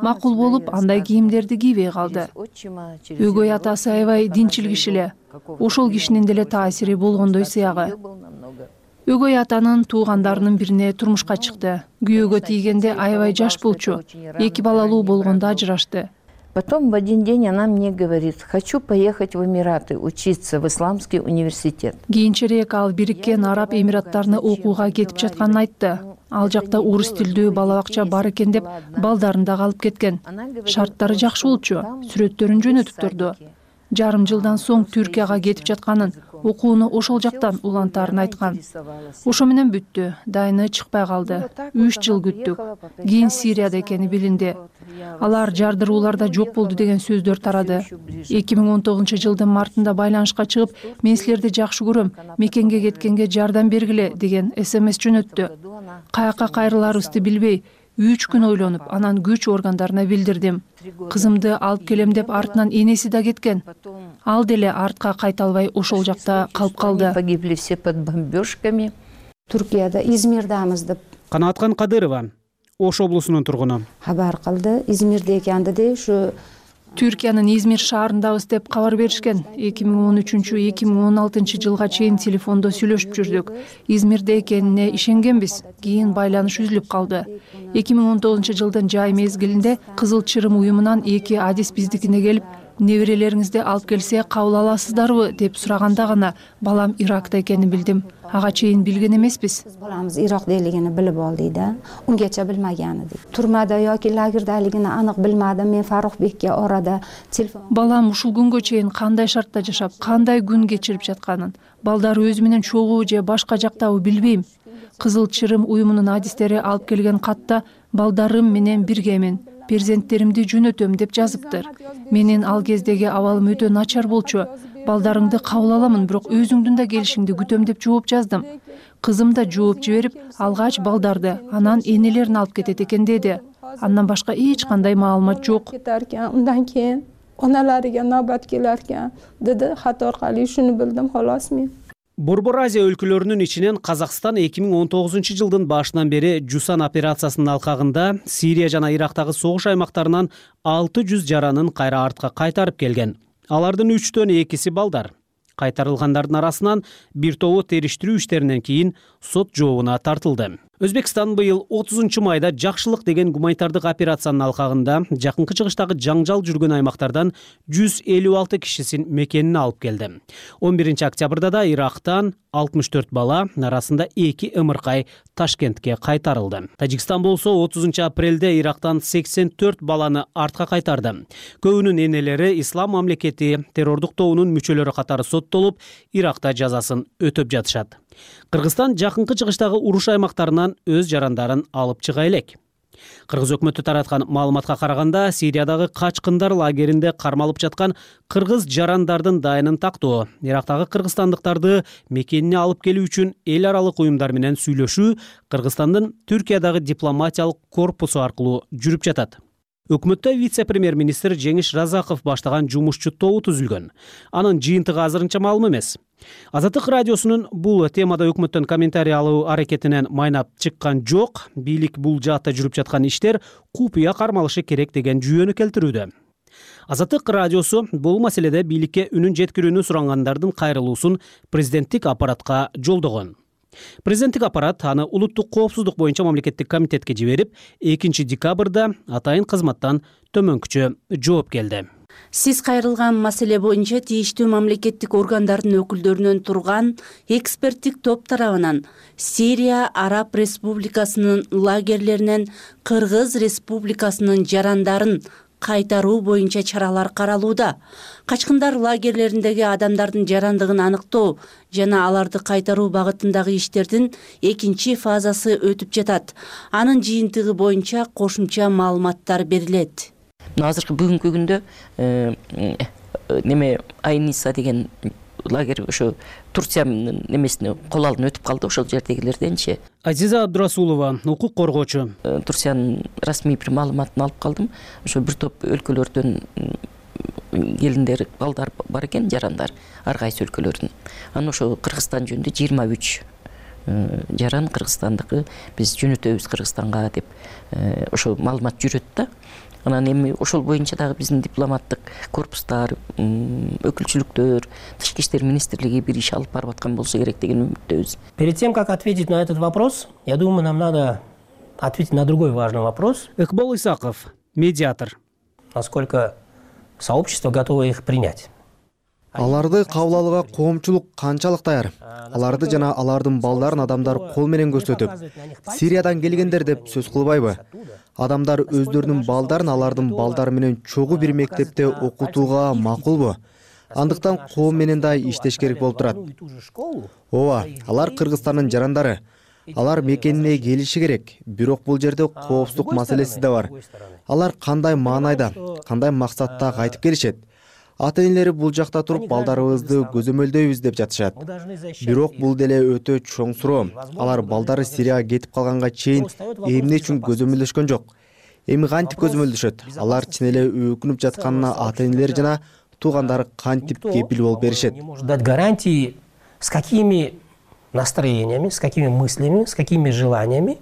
S20: Макул болуп, андай кийимдерди кийбей калды. Өгөй атасы аябай динчил киши эле. Ошол кишинин деле таасири болгондой сыягы. Өгөй атанын туугандарынын бирине турмушка чыкты. Күйөөгө тийгенде аябай жаш болчу. Эки балалуу болгондо ажырашты.
S4: Потом в один день она мне говорит: хочу поехать в Эмираты учиться в исламский университет.
S20: Кийинчерээк ал Бириккен Араб Эмираттарына окууга кетип жатканын айтты. Ал жакта орус тилдүү бала бакча бар экен деп балдарын да алып кеткен. Шарттары жакшы болчу, сүрөттөрүн жөнөтүп турду. Жарым жылдан соң Түркияга кетип жатканын, окууну ошол жактан улантаарын айткан. Ошо менен бүттү, дайыны чыкпай калды. үч жыл күттүк. Кийин Сирияда экени билинди. Алар жардырууларда жок болду деген сөздөр тарады. эки миң он тогузунчу жылдын мартында байланышка чыгып, мен силерди жакшы көрөм, мекенге кеткенге жардам бергиле деген смс жөнөттү. Каяка кайрыларыбызды билбей, үч күн ойлонуп, анан күч органдарына билдирдим. Кызымды алып келем деп артынан энеси да кеткен. Ал деле артка кайта албай ошол жакта калып калды.
S4: Погибли все под бомбежками.
S5: Түркияда, Измирдамыз деп.
S17: Канаткан Кадырова, Ош облусунун тургуну.
S5: Хабар кылды, Измирде экенди де, ушу
S20: Түркиянын Измир шаарындабыз деп кабар беришкен. эки миң он үчүнчү — эки миң он алтынчы жылга чейин телефондо сүйлөшүп жүрдүк. Измирде экенине ишенгенбиз. Кийин байланыш үзүлүп калды. эки миң он тогузунчу жылдын жай мезгилинде Кызыл Чырым уюмунан эки адис биздикине келип, неберелериңизди алып келсе кабыл аласыздарбы деп сураганда гана балам Иракта экенин билдим. Ага чейин билген эмеспиз.
S5: Баламыз Иракдалигини билип олдук да. Унгача билмеген эдик. Турмада yoki лагердалигини анык билмедим. Мен Фарухбекке орада телефон.
S20: Балам ушул күнгө чейин кандай шартта жашап, кандай күн кечирип жатканын, балдары өзү менен чогуу же башка жактабы билбейм. Кызыл Чырым уюмунун адистери алып келген катта балдарым менен биргемин, перзенттеримди жөнөтөм деп жазыптыр. Менин ал кездеги абалым өтө начар болчу. Балдарыңды кабыл аламын, бирок өзүңдүн да келишиңди күтөм деп жооп жаздым. Кызым да жооп жиберип, алгач балдарды, анан энелерин алып кетет экен деди. Андан башка эч кандай маалымат жок.
S23: Undan keyin onalariga navbat kelar ekan dedi. Xat orqali shuni bildim xolos men.
S17: Борбор Азия өлкөлөрүнүн ичинен Казакстан эки миң он тогузунчу жылдын башынан бери Жусан операциясынын алкагында Сирия жана Ирактагы согуш аймактарынан алты жүз жаранын кайра артка кайтарып келген. Алардын үчтөн экиси балдар. Кайтарылгандардын арасынан бир тобу териштирүү иштеринен кийин сот жообуна тартылды. Өзбекстан быйыл отузунчу майда жакшылык деген гуманитардык операциянын алкагында жакынкы чыгыштагы жаңжал жүргөн аймактардан жүз элүү алты кишисин мекенине алып келди. он биринчи октябрда да Ирактан алтымыш төрт бала, арасында эки ымыркай Ташкентке кайтарылды. Тажикстан болсо отузунчу апрелде Ирактан сексен төрт баланы артка кайтарды. Көбүнүн энелери Ислам мамлекети террордук тобунун мүчөлөрү катары соттолуп, Иракта жазасын өтөп жатышат. Кыргызстан жакынкы чыгыштагы уруш аймактарынан өз жарандарын алып чыга элек. Кыргыз өкмөтү тараткан маалыматка караганда, Сириядагы качкындар лагеринде кармалып жаткан кыргыз жарандардын дайынын тактоо, Ирактагы кыргызстандыктарды мекенине алып келүү үчүн эл аралык уюмдар менен сүйлөшүү Кыргызстандын Түркиядагы дипломатиялык корпусу аркылуу жүрүп жатат. Өкмөттө вице-премьер-министр Жеңиш Разаков баштаган жумушчу тобу түзүлгөн. Анын жыйынтыгы азырынча маалым эмес. Азаттык радиосунун бул темада өкмөттөн комментарий алуу аракетинен майнап чыккан жок. Бийлик бул жаатта жүрүп жаткан иштер купуя кармалышы керек деген жүйөнү келтирүүдө. Азаттык радиосу бул маселеде бийликке үнүн жеткирүүнү сурангандардын кайрылуусун президенттик аппаратка жолдогон. Президенттик аппарат аны улуттук коопсуздук боюнча мамлекеттик комитетке жиберип, экинчи декабрда атайын кызматтан төмөнкүчө жооп келди.
S6: Сиз кайрылган маселе боюнча тийиштүү мамлекеттик органдардын өкүлдөрүнөн турган эксперттик топ тарабынан Сирия Араб Республикасынын лагерлеринен Кыргыз Республикасынын жарандарын кайтаруу боюнча чаралар каралууда. Качкындар лагерлериндеги адамдардын жарандыгын аныктоо жана аларды кайтаруу багытындагы иштердин экинчи фазасы өтүп жатат. Анын жыйынтыгы боюнча кошумча маалыматтар берилет.
S18: Азыркы бүгүнкү күндө неме Айниса деген лагерь ошо Турциянын немесине кол алдын өтүп калды, ошол жердегилерденчи.
S17: Азиза Абдурасулова, укук коргоочу.
S18: Турциянын расмий бир маалыматын алып калдым. Ошо бир топ өлкөлөрдөн келиндер, балдар бар экен, жарандар, ар кайсы өлкөлөрдүн. Анан ошо Кыргызстан жөнүндө жыйырма үч жаран Кыргызстандыкы биз жөнөтөбүз Кыргызстанга деп ошо маалымат жүрөт да. Анан эми ошол боюнча дагы биздин дипломаттык корпустар, өкүлчүлүктөр, Тышкы иштер министрлиги бир иш алып барып аткан болсо керек деген үмүттөбүз.
S7: Перед тем, как ответить на этот вопрос, я думаю, нам надо ответить на другой важный вопрос.
S17: Ыкбол Исаков, медиатор.
S7: Насколько сообщество готово их принять?
S8: Аларды кабыл алууга коомчулук канчалык даяр? Аларды жана алардын балдарын адамдар кол менен көрсөтүп, Сириядан келгендер деп сөз кылбайбы? Адамдар өздөрүнүн балдарын алардын балдары менен чогуу бир мектепте окутууга макулбу? Андыктан коом менен да иштеш керек болуп турат. Ооба, алар Кыргызстандын жарандары. Алар мекенине келиши керек. Бирок бул жерде коопсуздук маселеси да бар. Алар кандай маанайда, кандай максатта кайтып келишет? Ата-энелери бул жакта туруп балдарыбызды көзөмөлдөйбүз деп жатышат. Бирок бул деле өтө чоң суроо. Алар балдары Сирияга кетип калганга чейин эмне үчүн көзөмөлдөшкөн жок? Эми кантип көзөмөлдөшөт? Алар чын эле өкүнүп жатканына ата-энелери жана туугандары кантип кепил болуп беришет?
S7: Дать гарантии, с какими настроениями, с какими мыслями, с какими желаниями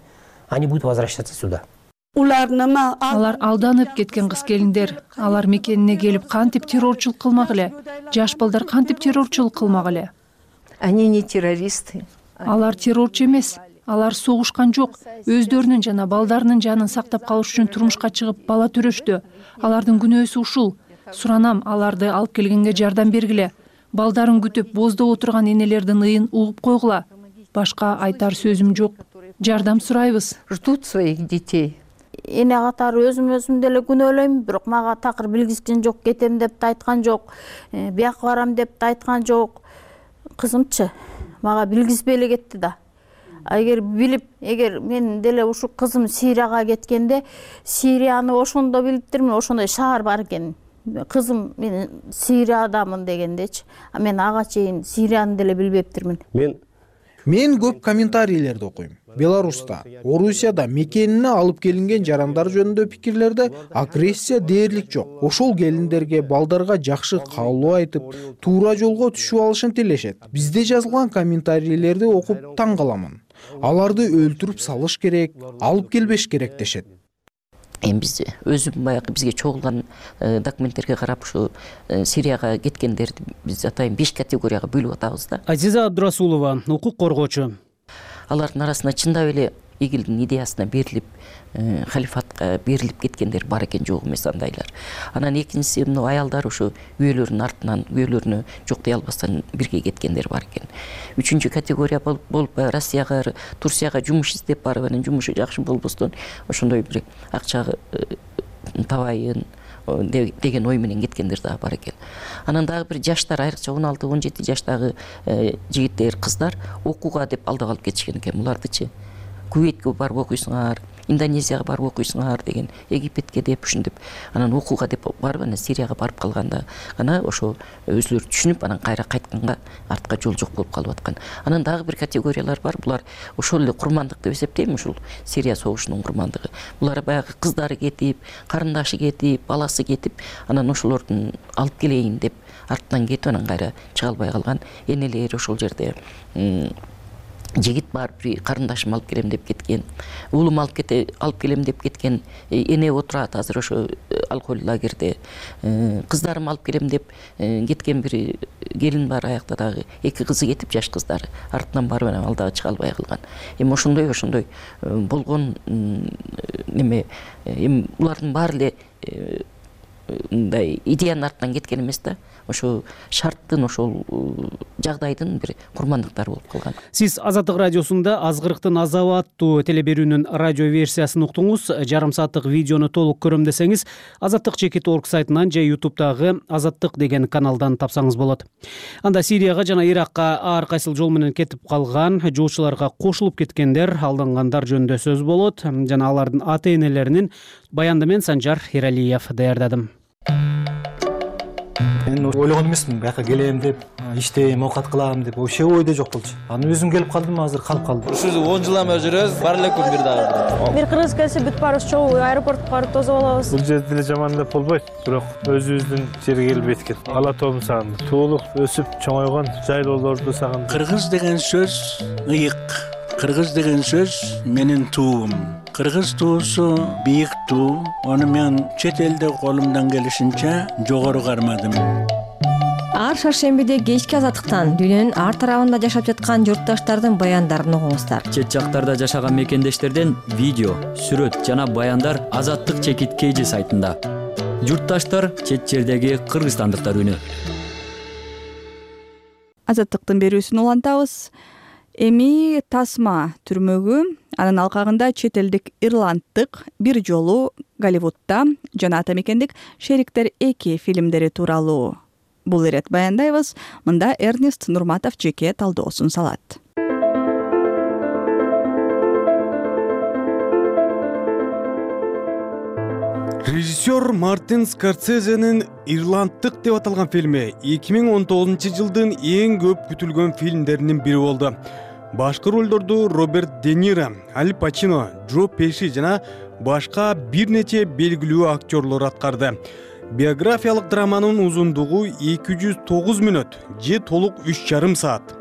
S7: они будут возвращаться сюда.
S20: Алар алданып кеткен кыз келиндер, алар мекенине келип кантип террорчулук кылмак эле? Жаш балдар кантип террорчулук кылмак эле?
S4: Они не террористы.
S20: Алар террорчу эмес. Алар согушкан жок. Өздөрүнүн жана балдарынын жанын сактап калыш үчүн турмушка чыгып бала төрөштү. Алардын күнөөсү ушул. Суранам, аларды алып келгенге жардам бергиле. Балдарын күтүп боздоп отурган энелердин ыйын угуп койгула. Башка айтар сөзүм жок. Жардам сурайбыз.
S4: Ждут своих детей.
S3: Эне катары өзүм өзүм деле күнөөлөйм, бирок мага такыр билгизген жок, кетем деп да айткан жок, бияка барам деп да айткан жок. Кызымчы мага билгизбей эле кетти да. Эгер билип, эгер мен деле ушу кызым Сирияга кеткенде, Сирияны ошондо билиптирмин, ошондой шаар бар экен. Кызым мен Сириядамын дегендечи. А мен ага чейин Сирияны деле билбептирмин.
S2: Мен Мен көп комментарийлерди окуйм. Беларуста, Орусияда мекенине алып келинген жарандар жөнүндө пикирлерде агрессия дээрлик жок. Ошол келиндерге, балдарга жакшы каалоо айтып, туура жолго түшүп алышын тилешет. Бизде жазылган комментарийлерди окуп таң каламын. Аларды өлтүрүп салыш керек, алып келбеш керек дешет.
S18: Эми биз өзүм баягы бизге чогулган документтерге карап ушу Сирияга кеткендерди биз атайын беш категорияга бөлүп атабыз да.
S17: Азиза Абдурасулова, укук коргоочу.
S18: Алардын арасында чындап эле игилдин идеясына берилип, халифатка берилип кеткендер бар экен, жок эмес андайлар. Анан экинчиси мына аялдар ушу үйөлөрүнүн артынан, үйөлөрүнө жок дей албастан бирге кеткендер бар экен. Үчүнчү категория болуп Россияга, Турцияга жумуш издеп барып, анан жумушу жакшы болбостон ошондой бир акча табайын деген ой менен кеткендер дагы бар экен. Анан дагы бир жаштар, айрыкча он алты он жети жаштагы жигиттер, кыздар окууга деп алдап алып кетишкен экен. Булардычы Кувейтке барып окуйсуңар, Индонезияга барып окуйсуңар деген, Египетке деп ушинтип, анан окууга деп барып, анан Сирияга барып калганда гана ошо өзүлөрү түшүнүп, анан кайра кайтканга артка жол жок болуп калып аткан. Анан дагы бир категориялар бар. Булар ошол эле курмандык деп эсептейм, ушул Сирия согушунун курмандыгы. Булар баягы кыздары кетип, карындашы кетип, баласы кетип, анан ошолордун алып келейин деп артынан кетип, анан кайра чыга албай калган энелер ошол жерде жигит барып бир карындашым алып келем деп кеткен, уулум алып кете алып келем деп кеткен, эне отурат азыр ошо алкоголь лагерде, кыздарым алып келем деп кеткен бир келин бар, аякта дагы эки кызы кетип, жаш кыздары артынан барып анан ал дагы чыга албай калган. Эми ошондой ошондой болгон неме, эми улардын баары эле мындай идеянын артынан кеткен эмес да, ошо шарттын, ошол жагдайдын бир курмандыктары болуп калган.
S17: Сиз Азаттык радиосунда Азгырыктын азабы аттуу телеберүүнүн радио версиясын уктуңуз. Жарым сааттык видеону толук көрөм десеңиз, азаттык чекит орг сайтынан же ютубтагы Азаттык деген каналдан тапсаңыз болот. Анда Сирияга жана Иракка ар кайсыл жол менен кетип калган жолчуларга кошулуп кеткендер, алдангандар жөнүндө сөз болот жана алардын ата-энелеринин баянды мен Санжар Эралиев даярдадым.
S10: Мен ойлогон эмесмин, бияка келем деп, иштейм, оокат кылам деп, вообще ойдо жок болчу. Анан өзүм келип калдым, азыр калып калдым.
S11: Ушул он жыл эме жүрөбүз, бар эле күн бир дагы.
S12: Бир кыргыз келсе бүт баарыбыз чогуу аэропортко барып тосуп алабыз.
S10: Бул жерде деле жаман деп болбойт, бирок өзүбүздүн жерге келип эткен. Ала тоом сагындым. Туулук, өсүп чоңойгон жайлоолорду сагындым.
S24: Кыргыз деген сөз ыйык. Кыргыз деген сөз менин туум. Кыргыз туусу бийик туу. Ону мен чет элде колумдан келишинче жогору кармадым.
S25: Ар шаршембиде кечки азаттыктан дүйнөнүн ар тарабында жашап жаткан журтташтардын баяндарын угуңуздар.
S26: Чет жактарда жашаган мекендештерден видео, сүрөт жана баяндар Азаттык чекит кейжи сайтында. Журтташтар чет жердеги кыргызстандыктар үнү.
S1: Азаттыктын берүүсүн улантабыз. Эми Тасма түрмөгү, анын алкагында чет элдик ирланддык бир жолу Голливудда жана ата мекендик Шериктер эки фильмдери тууралуу бул ирет баяндайбыз. Мында Эрнест Нурматов жеке талдоосун салат.
S9: Режиссер Мартин Скорсезенин Ирланддык деп аталган фильми эки миң он тогузунчу жылдын эң көп күтүлгөн фильмдеринин бири болду. Башкы ролдорду Роберт Де Ниро, Аль Пачино, Джо Пеши жана башка бир нече белгилүү актерлор аткарды. Биографиялык драманын узундугу эки жүз тогуз мүнөт же толук үч жарым саат.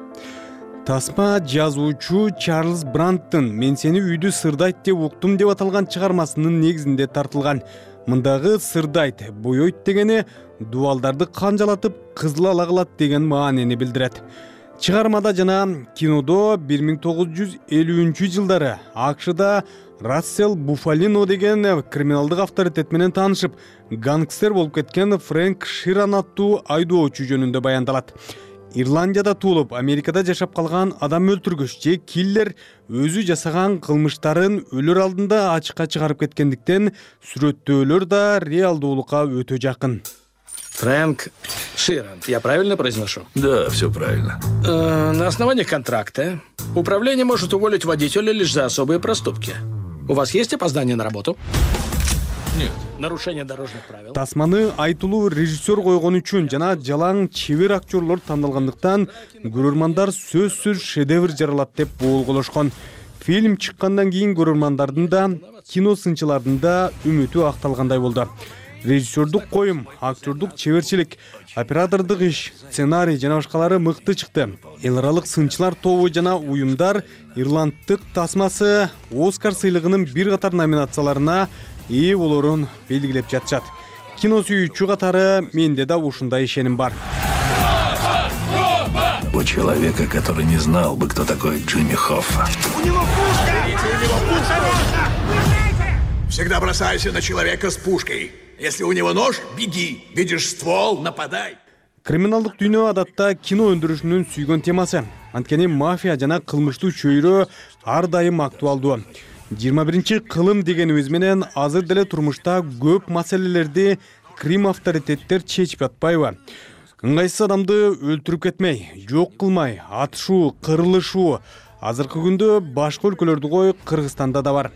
S9: Тасма жазуучу Чарльз Бранттын «Мен сени үйдү сырдайт деп уктум» деп аталган чыгармасынын негизинде тартылган. Мындагы сырдайт, боёйт дегени дубалдарды канжалатып, кызыл ала кылат деген маанини билдирет. Чыгармада жана кинодо бир миң тогуз жүз элүүнчү жылдары АКШда Рассел Буфалино деген криминалдык авторитет менен таанышып, гангстер болуп кеткен Фрэнк Ширан аттуу айдоочу жөнүндө баяндалат. Ирландияда туулуп, Америкада жашап калган адам өлтүргүч же киллер өзү жасаган кылмыштарын өлөр алдында ачыкка чыгарып кеткендиктен сүрөттөөлөр да реалдуулукка өтө жакын.
S27: Фрэнк Ширан, я правильно произношу?
S28: Да, все правильно.
S27: Э, на основании контракта управление может уволить водителя лишь за особые проступки. У вас есть опоздание на работу?
S28: Нет.
S27: Нарушение дорожных правил.
S9: Тасманы айтылуу режиссер койгон үчүн жана жалаң чебер актерлор тандалгандыктан көрөрмандар сөзсүз шедевр жаралат деп болголошкон. Фильм чыккандан кийин көрөрмандардын да, кино сынчылардын да үмүтү акталгандай болду. Режиссердук коюм, актердук чеберчилик, оператордук иш, сценарий жана башкалары мыкты чыкты. Эл аралык сынчылар тобу жана уюмдар Ирланддык Тасмасы Оскар сыйлыгынын бир катар номинацияларына ээ болорун белгилеп жатышат. Кино сүйүүчү катары менде да ушундай ишеним бар.
S28: У человека, который не знал бы, кто такой Джимми Хоффа.
S29: У него пушка! У него пушка! Всегда бросайся на человека с пушкой. Если у него нож, беги. Видишь ствол, нападай.
S9: Криминалдык дүйнө адатта кино өндүрүшүнүн сүйгөн темасы. Анткени мафия жана кылмыштуу чөйрө ар дайым актуалдуу. жыйырма биринчи кылым дегенибиз менен азыр деле турмушта көп маселелерди крим авторитеттер чечип жатпайбы? Ыңгайсыз адамды өлтүрүп кетмей, жок кылмай, атышуу, кырылышуу азыркы күндө башка өлкөлөрдү кой Кыргызстанда да бар.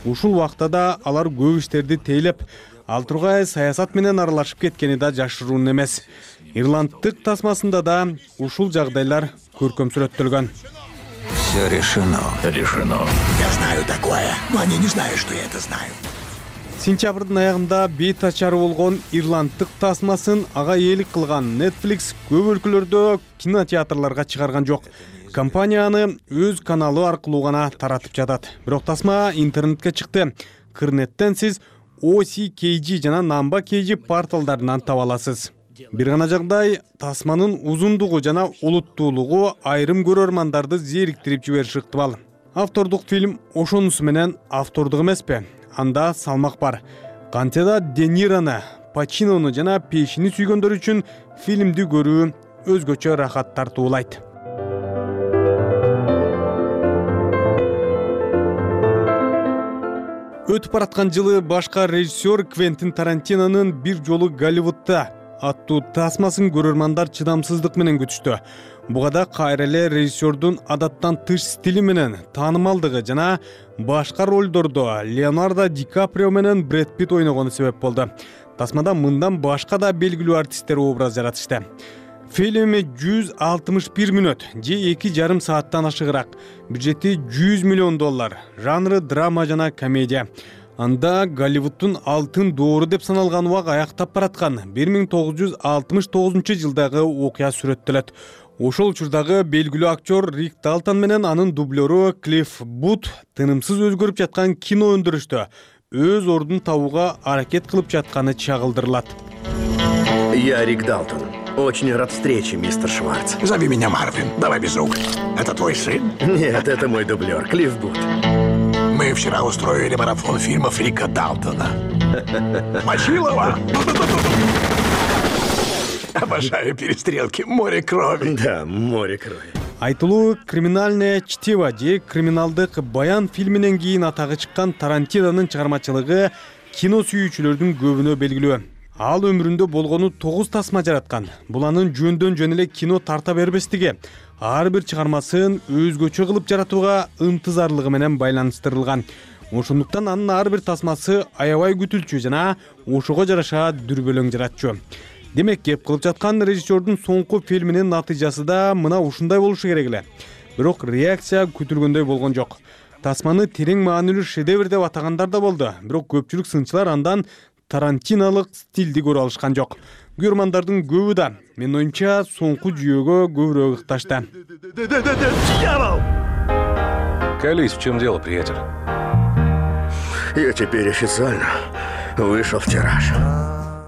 S9: Ушул убакта да алар көп иштерди тейлеп, ал тургай саясат менен аралашып кеткени да жашыруун эмес. Ирланддык Тасмасында да ушул жагдайлар көркөм сүрөттөлгөн.
S28: Все решено. Решено.
S29: Я знаю такое, но они не знают, что я это знаю.
S9: Сентябрдын аягында бет ачары болгон Ирланддык Тасмасын ага ээлик кылган Netflix көп өлкөлөрдө кинотеатрларга чыгарган жок. Компания аны өз каналы аркылуу гана таратып жатат. Бирок тасма интернетке чыкты. Кырнеттен сиз о си кей жи жана Number кей жи порталдарынан таба аласыз. Бир гана жагдай, тасманын узундугу жана олуттуулугу айрым көрөрмандарды зериктирип жибериши ыктымал. Автордук фильм ошонусу менен автордук эмеспи? Анда салмак бар. Кантсе да Де Нирону, Пачинону жана Пешини сүйгөндөр үчүн фильмди көрүү өзгөчө рахат тартуулайт. Өтүп бараткан жылы башка режиссер Квентин Тарантинонун «Бир жолу Голливудта» аттуу тасмасын көрөрмандар чыдамсыздык менен күтүштү. Буга да кайра эле режиссердун адаттан тыш стили менен таанымалдыгы жана башка ролдордо Леонардо Ди Каприо менен Брэд Питт ойногону себеп болду. Тасмада мындан башка да белгилүү артисттер образ жаратышты. Фильм жүз алтымыш бир мүнөт же эки жарым сааттан ашыгыраак. Бюджети жүз миллион доллар. Жанры драма жана комедия. Анда Голливудтун алтын доору деп саналган убак аяктап бараткан бир миң тогуз жүз алтымыш тогузунчу жылдагы окуя сүрөттөлөт. Ошол учурдагы белгилүү актер Рик Далтон менен анын дублеру Клифф Бут тынымсыз өзгөрүп жаткан кино өндүрүштө өз ордун табууга аракет кылып жатканы чагылдырылат.
S29: Я Рик Далтон. Очень рад встрече, мистер Шварц. Зови меня Марвин. Давай без рук. Это твой сын? Нет, это мой дублер, Клифф Бут. Мы вчера устроили марафон фильмов Рика Далтона. Мочилова! Обожаю перестрелки. Море крови. Да, море крови.
S9: Айтылуу «Криминальное чтиво» же «Криминалдык баян» фильминен кийин атагы чыккан Тарантинонун чыгармачылыгы кино сүйүүчүлөрдүн көбүнө белгилүү. Ал өмүрүндө болгону тогуз тасма жараткан. Бул анын жөндөн жөн эле кино тарта бербестиги, ар бир чыгармасын өзгөчө кылып жаратууга ынтызарлыгы менен байланыштырылган. Ошондуктан анын ар бир тасмасы аябай күтүлчү жана ошого жараша дүрбөлөң жаратчу. Демек, кеп кылып жаткан режиссердун соңку фильминин натыйжасы да мына ушундай болушу керек эле. Бирок реакция күтүлгөндөй болгон жок. Тасманы терең маанилүү шедевр деп атагандар да болду. Бирок көпчүлүк сынчылар андан тарантиналык стилди көрө алышкан жок. Көрөрмандардын көбү да, менин оюмча, соңку жүйөгө көбүрөөк ыкташты.
S28: Колись, в чем дело, приятель?
S29: Я теперь официально вышел в тираж.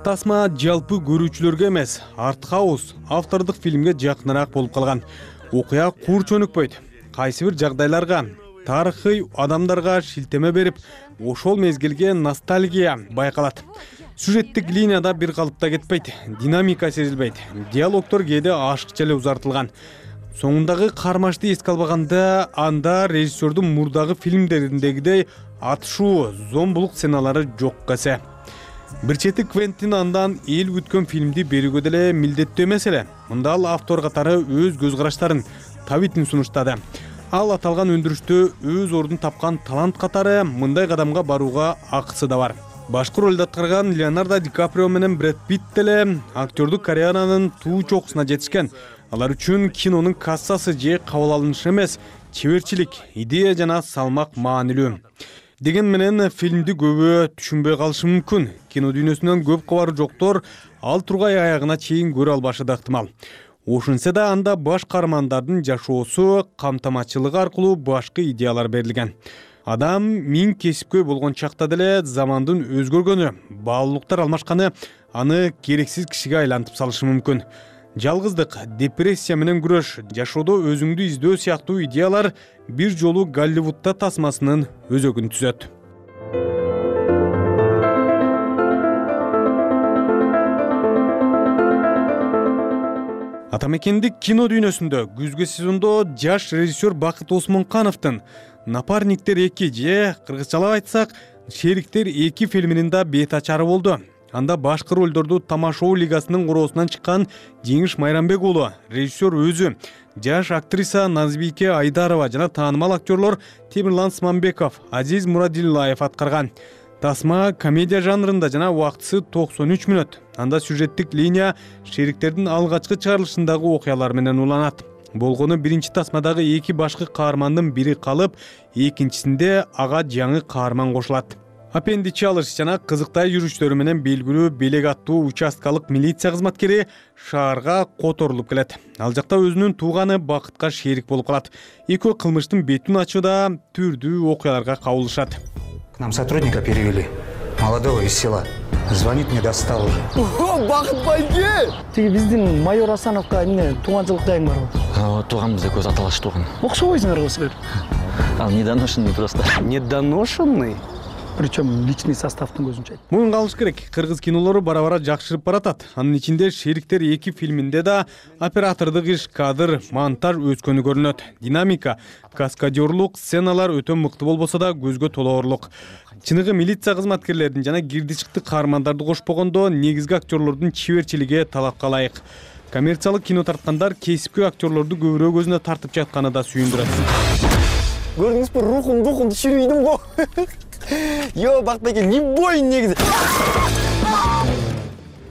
S9: Тасма жалпы көрүүчүлөргө эмес, артхаус, автордук фильмге жакыныраак болуп калган. Окуя кур чөнүкпөйт. Кайсы бир жагдайларга, тарыхый адамдарга шилтеме берип, ошол мезгилге ностальгия байкалат. Сюжеттик линияда бир калыпта кетпейт, динамика сезилбейт. Диалогдор кээде ашыкча эле узартылган. Соңундагы кармашты эске албаганда, анда режиссердун мурдагы фильмдериндегидей атышуу, зомбулук сценалары жокко эсе. Бир чети Квентин андан эл күткөн фильмди берүүгө деле милдеттүү эмес эле. Мында ал автор катары өз көз караштарын, табитин сунуштады. Ал аталган өндүрүштө өз ордун тапкан талант катары мындай кадамга барууга акысы да бар. Башкы ролду аткарган Леонардо Ди Каприо менен Брэд Питт деле актёрдук карьеранын туу чокусуна жетишкен. Алар үчүн кинонун кассасы же кабыл алынышы эмес, чеберчилик, идея жана салмак маанилүү. Деген менен фильмди көбү түшүнбөй калышы мүмкүн. Кино дүйнөсүнөн көп кабары жоктор ал тургай аягына чейин көрө албашы да ыктымал. Ошентсе да анда баш каармандардын жашоосу, камтамачылыгы аркылуу башкы идеялар берилген. Адам миң кесипкөй болгон чакта деле замандын өзгөргөнү, баалуулуктар алмашканы аны керексиз кишиге айлантып салышы мүмкүн. Жалгыздык, депрессия менен күрөш, жашоодо өзүңдү издөө сыяктуу идеялар бир жолу Голливудта тасмасынын өзөгүн түзөт. Атамекендик кино дүйнөсүндө күзгү сезондо жаш режиссер Бакыт Осмонкановдун «Напарниктер эки» же кыргызчалап айтсак, «Шериктер эки» фильминин да бет ачары болду. Анда башкы ролдорду Тамашоо лигасынын короосунан чыккан Жеңиш Майрамбек уулу, режиссер өзү, жаш актриса Назбике Айдарова жана таанымал актерлор Темирлан Смамбеков, Азиз Мурадиллаев аткарган. Тасма комедия жанрында жана убактысы токсон үч мүнөт. Анда сюжеттик линия шериктердин алгачкы чыгарылышындагы окуялар менен уланат. Болгону биринчи тасмадагы эки башкы каармандын бири калып, экинчисинде ага жаңы каарман кошулат.
S5: аппендичи алыш жана кызыктай жүрүштөрү менен белгилүү белек аттуу участкалык милиция кызматкери шаарга которулуп келет. Ал жакта өзүнүн тууганы Бакытка шерик болуп калат. Экөө кылмыштын бетин ачууда түрдүү окуяларга кабылышат.
S13: К нам сотрудника перевели. Молодого из села. Звонит, не достал уже.
S14: Ого, Бакыт байке! Тиги биздин майор Асановго эмне тууганчылык дайым барбы?
S13: Тууганбыз экөөбүз аталаш тууган.
S14: Окшобойсуңарбы силер?
S13: Ал недоношенный просто.
S14: Недоношенный? Причем личный составтын көзүнчө айт.
S5: Муну калыш керек. Кыргыз кинолору бара-бара жакшырып баратат. Анын ичинде Шериктер эки фильминде да оператордук иш, кадр, монтаж өскөнү көрүнөт. Динамика, каскадерлук сценалар өтө мыкты болбосо да көзгө толоорлук. Чыныгы милиция кызматкерлерин жана кирди-чыкты каармандарды кошпогондо негизги актерлордун чеберчилиги талапка ылайык. Коммерциялык кино тарткандар кесипкөй актерлорду көбүрөөк өзүнө тартып жатканы да сүйүндүрөт.
S14: Көрдүңүзбү, рухум, рухум түшүрүйдүм го. Йо, Бакытбайке, не бой негизи.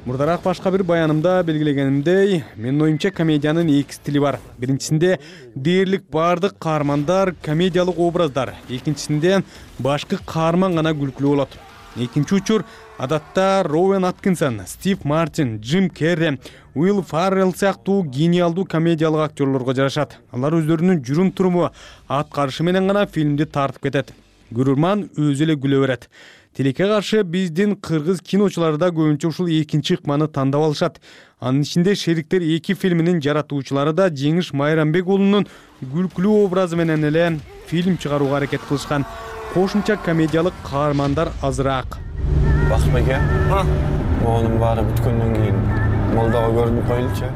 S5: Мурдараак башка бир баянымда белгилегенимдей, менин оюмча комедиянын эки стили бар. Биринчисинде дээрлик баардык каармандар комедиялык образдар, экинчисинде башкы каарман гана күлкүлүү болот. Экинчи учур адатта Роуэн Аткинсон, Стив Мартин, Джим Керри, Уилл Фаррелл сыяктуу гениалдуу комедиялык актерлорго жарашат. Алар өздөрүнүн жүрүм-туруму, аткарышы менен гана фильмди тартып кетет. Көрөрман өзү эле күлө берет. Тилекке каршы биздин кыргыз киночулары да көбүнчө ушул экинчи ыкманы тандап алышат. Анын ичинде Шериктер эки фильминин жаратуучулары да Жеңиш Майрамбек уулунун күлкүлүү образы менен эле фильм чыгарууга аракет кылышкан. Кошумча комедиялык каармандар азыраак.
S14: Бакытбайке, оонун баары бүткөндөн кийин молдого көрүнүп коелучу.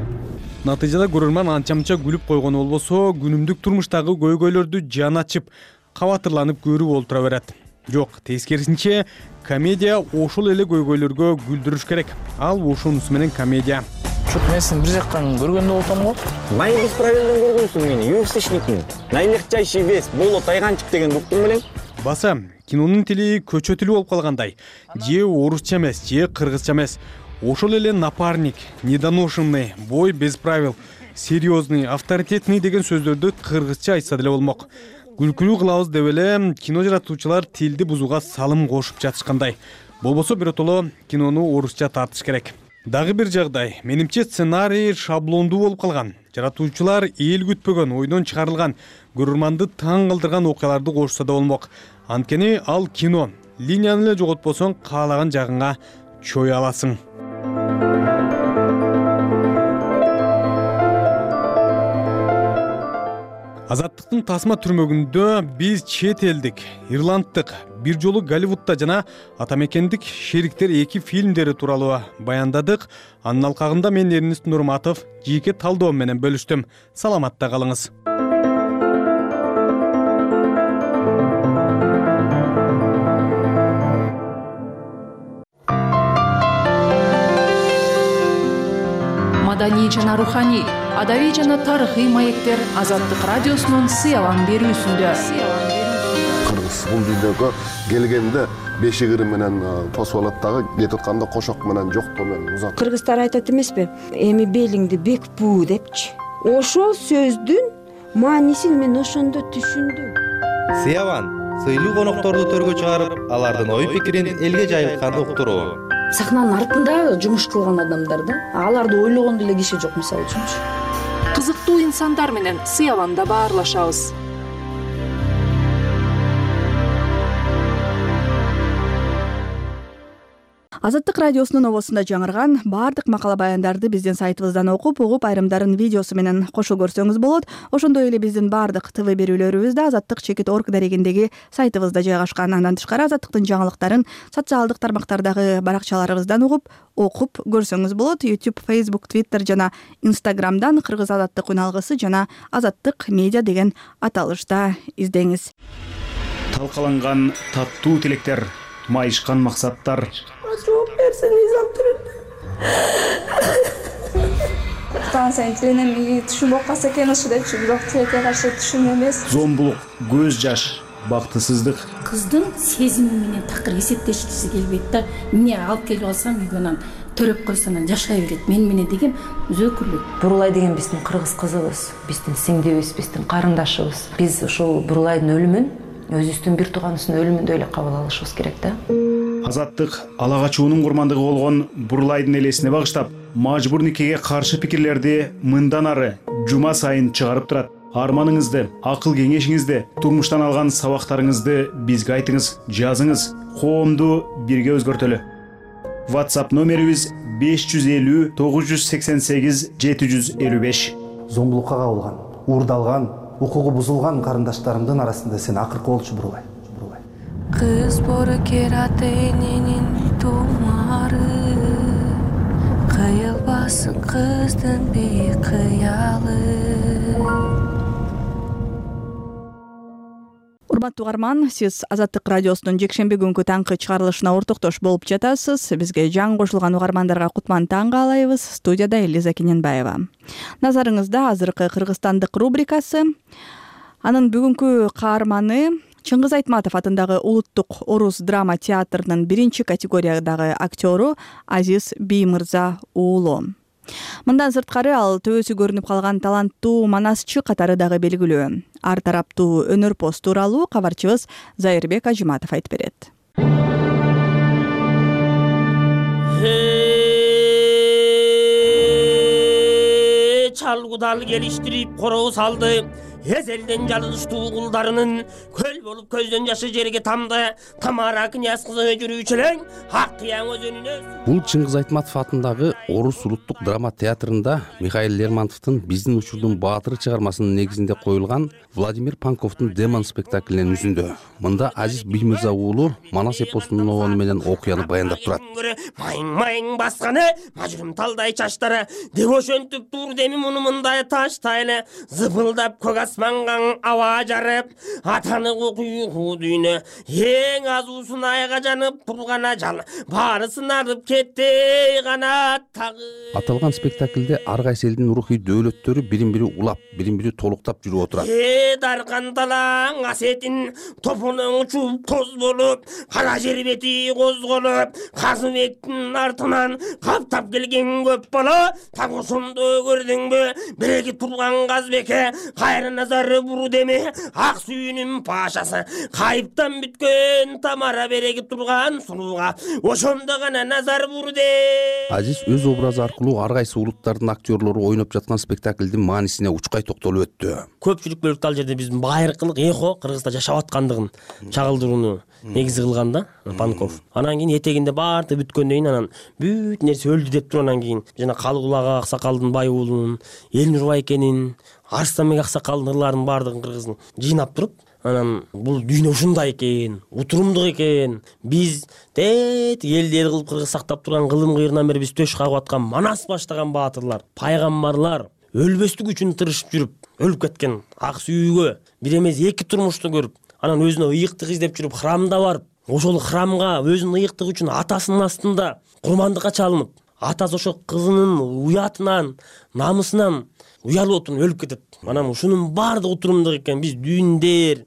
S5: Натыйжада көрөрман анча-мынча күлүп койгону болбосо, күнүмдүк турмуштагы көйгөйлөрдү жан ачып, кабатырланып көрүп олтура берет. Жок, тескерисинче, комедия ошол эле көйгөйлөргө күлдүрүш керек. Ал ошонусу менен комедия.
S14: Чок, мен сени бир жактан көргөндө болсом го.
S15: Май бесправилден көргөнсүң мени, юстичникин. Найлегчайший вес, боло тайганчык деген буктун белең.
S5: Баса, кинонун тили көчө тили болуп калгандай. Же орусча эмес, же кыргызча эмес. Ошол эле напарник, недоношенный, бой без правил, серьезный, авторитетный деген сөздөрдү кыргызча айтса деле болмок. Күлкүлүү кылабыз деп эле кино жаратуучулар тилди бузууга салым кошуп жатышкандай. Болбосо биротоло кинону орусча тартыш керек. Дагы бир жагдай, менимче сценарий шаблондуу болуп калган. Жаратуучулар эл күтпөгөн, ойдон чыгарылган, көрөрманды таң калтырган окуяларды кошсо да болмок. Анткени ал кино. Линияны эле жоготпосоң, каалаган жагыңа чөй аласың. Азаттыктын тасма түрмөгүндө биз чет элдик, ирланддык, бир жолу Голливудда жана атамекендик Шериктер эки фильмдери тууралуу баяндадык. Анын алкагында мен Эрнест Нурматов жеке талдоом менен бөлүштүм. Саламатта калыңыз.
S20: Маданий жана руханий, адабий жана тарыхый маектер Азаттык радиосунун сыялан берүүсүндө.
S16: Кыргыз бул дүйнөгө келгенде бешигири менен тосуп алат дагы, кетип атканда кошок менен жоктоо менен узат.
S19: Кыргыздар айтат эмеспи? Эми белиңди бек буу депчи. Ошол сөздүн маанисин мен ошондо түшүндүм.
S21: Сыяван сыйлуу конокторду төргө чыгарып, алардын ой пикирин элге жайылтканды уктуруу.
S22: Сахнанын артында жумуш кылган адамдар да, аларды ойлогондо эле киши жок, мисалы үчүнчү.
S20: Кызыктуу инсандар менен сыяванда баарлашабыз.
S1: Азаттык радиосунун обосунда жаңырган баардык макала баяндарды биздин сайтыбыздан окуп, угуп, айрымдарын видеосу менен кошо көрсөңүз болот. Ошондой эле биздин баардык ТВ берүүлөрүбүз да азаттык чекит орг дарегиндеги сайтыбызда жайгашкан. Андан тышкары Азаттыктын жаңылыктарын социалдык тармактардагы баракчаларыбыздан угуп, окуп көрсөңүз болот. YouTube, Facebook, Twitter жана Instagram'дан Кыргыз Азаттык үналгысы жана Азаттык медиа деген аталышта издеңиз.
S23: Талкаланган таттуу тилектер, майышкан максаттар.
S19: Жооп берсин, изам түрүн.
S12: Станция тиленем түшүнүп калса экен ушу депчи, бирок тилекке каршы түшүн эмес.
S23: Зомбулук, көз жаш, бактысыздык.
S30: Кыздын сезими менен такыр эсептешкиси келбейт да. Эмне алып келип алсам үйгөнөн төрөп койсонан жашай берет. Мен менен деген өзөкүлүк.
S31: Бурулай деген биздин кыргыз кызыбыз, биздин сиңдибиз, биздин карындашыбыз. Биз ушул Бурулайдын өлүмүн
S2: өзүбүздүн бир тууганыбыздын өлүмүндөй эле кабыл алышыбыз керек да.
S23: Азаттык ала качуунун курмандыгы болгон Бурлайдын элесине багыштап, мажбур никеге каршы пикирлерди мындан ары жума сайын чыгарып турат. Арманыңызды, акыл кеңешиңизди, турмуштан алган сабактарыңызды бизге айтыңыз, жазыңыз. Коомду бирге өзгөртөлү. WhatsApp номерибиз беш жүз элүү тогуз жүз сексен сегиз жети жүз элүү беш.
S3: Зомбулукка кабылган, уурдалган, укугу бузулган карындаштарымдын арасында сен акыркы болчу Бурлай.
S4: Кыз бору кератенинин тумары, кыйылбасын кыздын бейик кыялы.
S1: Урматтуу угарман, сиз Азаттык радиосунун жекшемби күнкү таңкы чыгарылышына ортоктош болуп жатасыз. Бизге жаңы кошулган угармандарга кутман таң каалайбыз. Студияда Элиза Кененбаева. Назарыңызда азыркы кыргызстандык рубрикасы. Анын бүгүнкү каарманы Чыңгыз Айтматов атындагы Улуттук Орус драма театрынын биринчи категориядагы актёру Азиз Биймырза уулу. Мындан сырткары ал төбөсү көрүнүп калган таланттуу манасчы катары дагы белгилүү. Ар тараптуу өнөрпоз тууралуу кабарчыбыз Зайырбек Ажиматов айтып берет.
S6: Чалгудал келиштирип короо салды. Эзелден жалыныштуу кулдарынын көл болуп көздөн жашы жерге тамды. Тамара князь кызы жүрүүчүлөр ак кыяң өзүнүнө.
S7: Бул Чыңгыз Айтматов атындагы Орус улуттук драма театрында Михаил Лермонтовдун Биздин учурдун баатыры чыгармасынын негизинде коюлган Владимир Панковдун Демон спектаклинин үзүндө. Мында Азиз Биймырза уулу Манас эпосунун обону менен окуяны баяндап турат.
S6: Майың-майың басканы, мажурум талдай чачтары, дебошөнтүп тур деми муну мындай таштайлы, зыпылдап көк асманга аба жарып, атаны куйгу дүйнө, эң азуусун айга жанып турган ажал, баарысын арып кетти гана тагы.
S7: Аталган спектаклде ар кайсы элдин рухий дөөлөттөрү бирин-бири улап, бирин-бири толуктап жүрүп отурат.
S6: Э даркан талаң асетин топонуң чуп тоз болуп, кара жер бети козголуп, Казыбектин артынан каптап келген көп бала, так ошондо көрдүңбү, биреги турган Казбекке кайра назары буру деме, ак сүйүнүн пашасы, кайыптан бүткөн Тамара береги турган сунууга, ошондо гана назар буру де.
S7: Азиз өз образы аркылуу ар кайсы улуттардын актерлору ойноп жаткан спектаклдин маанисине учкай токтолуп өттү.
S6: Көпчүлүк бөлүктө ал жерде биздин байыркылык эхо Кыргызда жашап аткандыгын чагылдырууну негизи кылган да Панков. Анан кийин этегинде баарды бүткөндөн кийин анан бүт нерсе өлдү деп туруп анан кийин жана Калыгулага Аксакалдын бай уулунун, Элнур байкенин, Арстанбек Аксакалдын ырларын баардыгын кыргыздын жыйнап туруп, анан бул дүйнө ушундай экен, утурумдук экен. Биз тет элди эл кылып кыргыз сактап турган кылым кыйрынан бери биз төш кагып аткан Манас баштаган баатырлар, пайгамбарлар өлбөстүк үчүн тырышып жүрүп, өлүп кеткен ак сүйүүгө бир эмес эки турмушту көрүп, анан өзүнө ыйыктык издеп жүрүп храмда барып, ошол храмга өзүнүн ыйыктыгы үчүн атасынын астында курмандыкка чалынып, атасы ошо кызынын уятынан, намысынан уялып отуруп өлүп кетет. Анан ушунун баардыгы утурумдук экен. Биз дүйүндөр,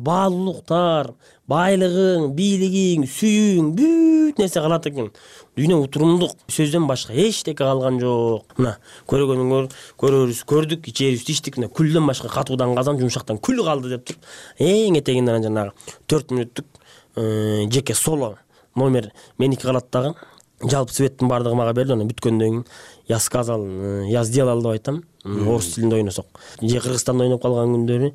S6: баалуулуктар, байлыгың, бийлигиң, сүйүүң бүт нерсе калат экен. Дүйнө утурумдук, сөздөн башка эчтеке калган жок. Мына көргөнүңөр, көрөрүз, көрдүк, ичерибиз, иштик, мына күлдөн башка катуудан казан, жумшактан күл калды деп туруп, эң этегинен жанагы төрт мүнөттүк жеке соло номер меники калат дагы. Жалпы светтин баардыгы мага берди, анан бүткөндөн кийин я сказал, я сделал деп айтам. Орус тилинде ойносок. Же Кыргызстанда ойноп калган күндөрү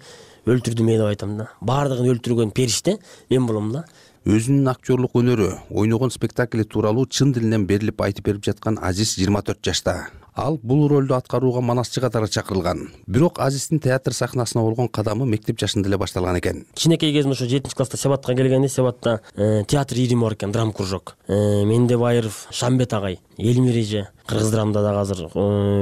S6: өлтүрдүм деп айтам да. Баардыгын өлтүргөн периште мен болом да.
S7: Өзүнүн актерлук өнөрү, ойногон спектакли тууралуу чын дилинен берилип айтып берип жаткан Азиз жыйырма төрт жашта. Ал бул ролду аткарууга манасчы катары чакырылган. Бирок Азиздин театр сахнасына болгон кадамы мектеп жашында эле башталган экен.
S6: Кичинекей кезимде ошо жетинчи класста Себатка келгенде, Себатта театр ирим бар экен, драм кружок. Менде Байыров, Шамбет агай, Элмиреже кыргыз драмада дагы азыр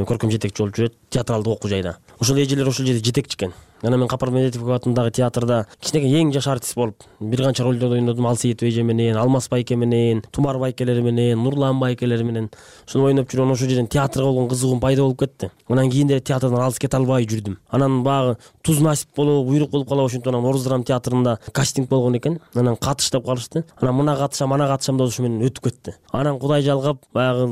S6: көркөм жетекчи болуп жүрөт, театралдык окуу жайда. Ошол эжелер ошол жерде жетекчи экен. Анан мен Капар Медетов атындагы театрда кичинекей эң жаш артист болуп, бир канча ролдорду ойнодум. Алсейитов эже менен, Алмаз байке менен, Тумар байкелери менен, Нурлан байкелери менен. Ошону ойноп жүргөн ошол жерден театрга болгон кызыгуум пайда болуп кетти. Анан кийин деле театрдан алыс кете албай жүрдүм. Анан багы туз насип болуп, буйрук болуп калып, ошентип анан Орус драма театрында кастинг болгон экен. Анан катыш деп калышты. Анан мына катышам, ана катышам деп ошо менен өтүп кетти. Анан Кудай жалгап, баягы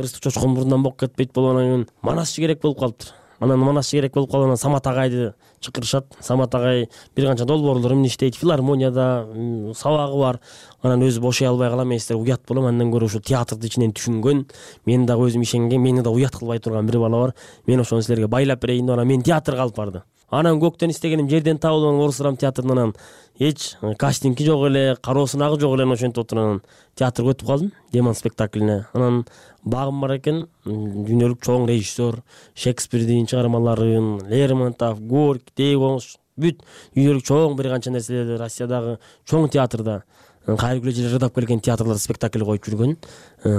S6: ырыстык чочкон мурундан бок кетпейт болуп, анан манасчы керек болуп калыптыр. анан манасчы керек болуп калып анан Самат агайды чакырышат. Самат агай бир канча долбоорлор эмне иштейт, филармонияда сабагы бар. Анан өзү бошой албай калам, мен силерге уят болом. Андан көрө ушу театрды ичинен түшүнгөн, мен дагы өзүм ишенген, мени да уят кылбай турган бир бала бар. Мен ошону силерге байлап берейин деп анан мен театрга алып барды. Анан көктөн истегеним жерден табылган Орус драма театрынан анан эч кастинги жок эле, кароо сынагы жок эле, ошентип отуруп анан театрга өтүп калдым, Демон спектаклине. Анан багым бар экен, дүйнөлүк чоң режиссер, Шекспирдин чыгармаларын, Лермонтов, Горький, Дейгош, бүт дүйнөлүк чоң бир канча нерселерди Россиядагы чоң театрда, кайрылгы жерде ырдап келген театрларда спектакль коюп жүргөн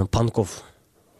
S6: Панков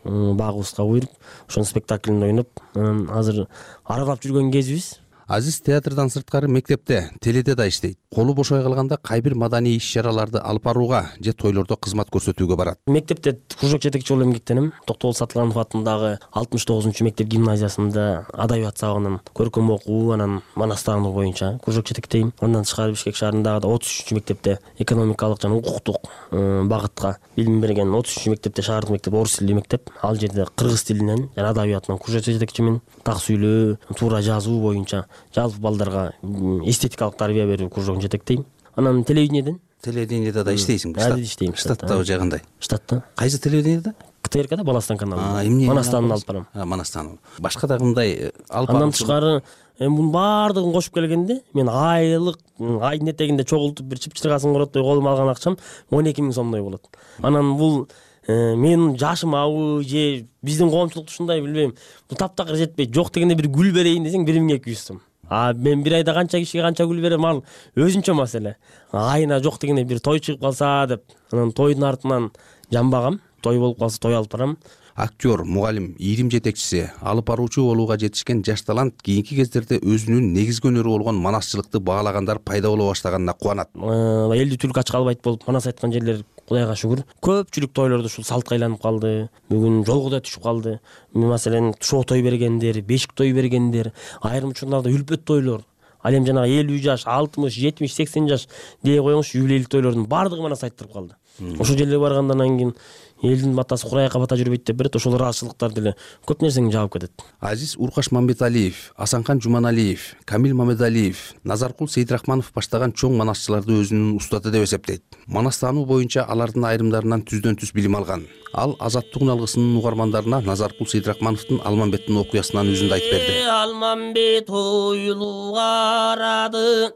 S6: багыбызга буйруп, ошонун спектаклинде ойноп, анан азыр аралап жүргөн кезибиз.
S7: Азиз театрдан сырткары мектепте, теледе да иштейт. Колу бошой калганда кайбир маданий иш-чараларды алып барууга же тойлордо кызмат көрсөтүүгө барат.
S6: Мектепте кружок жетекчи болуп эмгектенем. Токтогул Сатылганов атындагы алтымыш тогузунчу мектеп гимназиясында адабият сабагынан көркөм окуу, анан манастаану боюнча кружок жетектейм. Андан тышкары Бишкек шаарындагы отуз үчүнчү мектепте экономикалык жана укуктук багытка билим берген отуз үчүнчү мектепте шаардык мектеп орус тилдүү мектеп. Ал жерде кыргыз тилинен жана адабиятынан кружок жетекчимин. Так сүйлөө, туура жазуу боюнча жалпы балдарга эстетикалык тарбия берүү кружогун жетектейм. Анан телевидениеден
S7: телевидениеде да иштейсиң.
S6: Штат иштейм.
S7: Штаттабы же кандай?
S6: Штатта.
S7: Кайсы телевидениеде?
S6: КТРКда Баластан каналында.
S7: эмне?
S6: Манастан алып барам.
S7: Манастан. Башка да кандай алып барам?
S6: Андан тышкары эми мунун баардыгын кошуп келгенде мен айлык айдын этегинде чогултуп бир чыпчыргасын короттой колума алган акчам он эки миң сомдой болот. Анан бул менин жашым абы же биздин коомчулукта ушундай билбейм, бул таптакыр жетпейт. Жок дегенде бир гүл берейин десең бир миң эки жүз сом. А мен бир айда канча кишиге канча гүл берем, ал өзүнчө маселе. Айына жок дегенде бир той чыгып калса деп, анан тойдун артынан жамбагам, той болуп калса той алып барам.
S7: Актер, мугалим, ийрим жетекчиси, алып баруучу болууга жетишкен жаш талант кийинки кездерде өзүнүн негизги өнөрү болгон манасчылыкты баалагандар пайда боло баштаганына кубанат.
S6: Элди түлк ачка албайт болуп манас айткан жерлер Кудайга шүгүр. Көпчүлүк тойлордо ушул салтка айланып калды. Бүгүн жолго да түшүп калды. Маселен, шоо той бергендер, бешик той бергендер, айрым учурларда үлпөт тойлор. Ал эми жанагы элүү жаш, алтымыш, жетимиш, сексен жаш дей коюңуз, юбилейлик тойлордун баардыгы манас айттырып калды. Ошол жерлерге баргандан кийин элдин батасы курайга бата жүрбөйт деп берет, ошол ыраазычылыктар деле көп нерсени жаап кетет.
S7: Азиз Уркаш Мамбеталиев, Асанкан Жуманалиев, Камил Мамедалиев, Назаркул Сейдрахманов баштаган чоң манасчыларды өзүнүн устаты деп эсептейт. Манастаану боюнча алардын айрымдарынан түздөн түз билим алган. Ал Азаттык алгысынын угармандарына Назаркул Сейдрахмановдун Алмамбеттин окуясынан үзүндү айтып берди.
S6: Алмамбет оюлуп карады,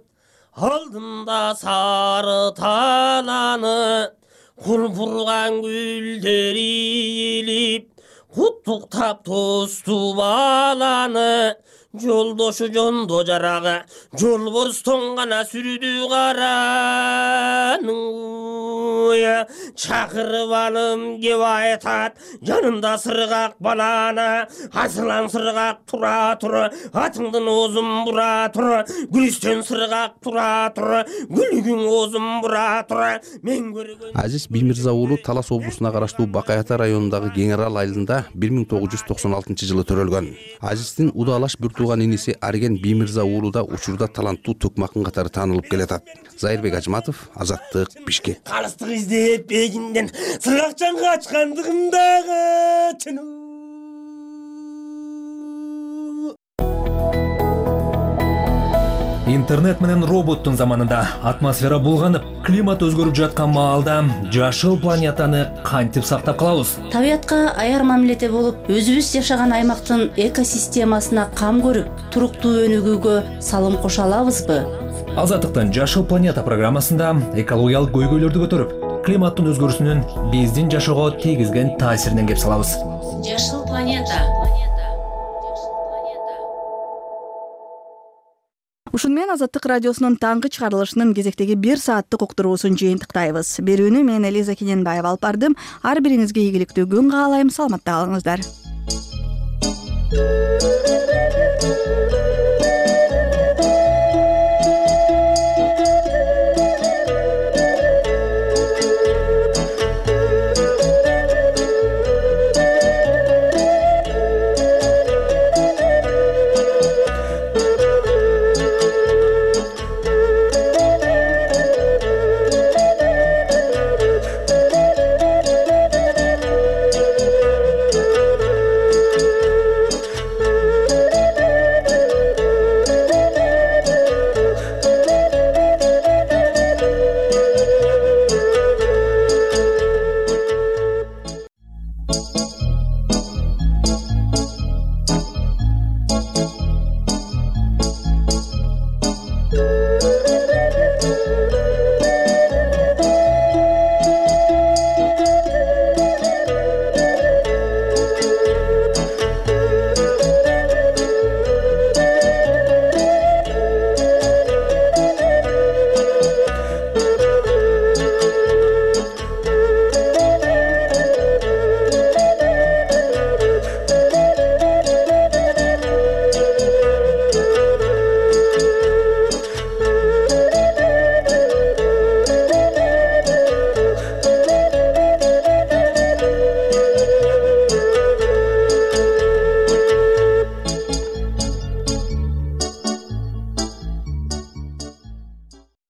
S6: алдында сары таланы, курпурган гүлдөр ийилип, куттуктап тосту баланы, жолдошу жондо жарагы, жолборс тоңгана сүрдү караны. Чакырып алым кеп айтат, жанында сыргак баланы, асылан сыргак тура тур, атыңдын оозун бура тур, гүлүстөн сыргак тура тур, гүлүгүң оозун бура тур. Мен көргөн
S7: Азиз Биймирза уулу Талас облусуна караштуу Бакай Ата районундагы Кең Арал айылында бир миң тогуз жүз токсон алтынчы жылы төрөлгөн. Азиздин удалаш бир тууган иниси Арген Биймирза уулу да учурда таланттуу төкмакын катары таанылып келатат. Зайырбек Ажматов, Азаттык, Бишкек.
S6: Калыстык издеп бегинден сыргакчан качкандыгымдагы чынуу.
S8: Интернет менен роботтун заманында атмосфера булганып, климат өзгөрүп жаткан маалда жашыл планетаны кантип сактап калабыз?
S30: Табиятка аяр мамиледе болуп, өзүбүз жашаган аймактын экосистемасына кам көрүп, туруктуу өнүгүүгө салым кошо алабызбы?
S8: Азаттыктын Жашыл планета программасында экологиялык көйгөйлөрдү көтөрүп, климаттын өзгөрүүсүнүн биздин жашоого тийгизген таасиринен кеп салабыз.
S30: Жашыл планета.
S1: Ушун менен Азаттык радиосунун таңкы чыгарылышынын кезектеги бир сааттык уктуруусун жыйынтыктайбыз. Берүүнү мен Элиза Кененбаева алып бардым. Ар бириңизге ийгиликтүү күн каалайм. Саламатта калыңыздар.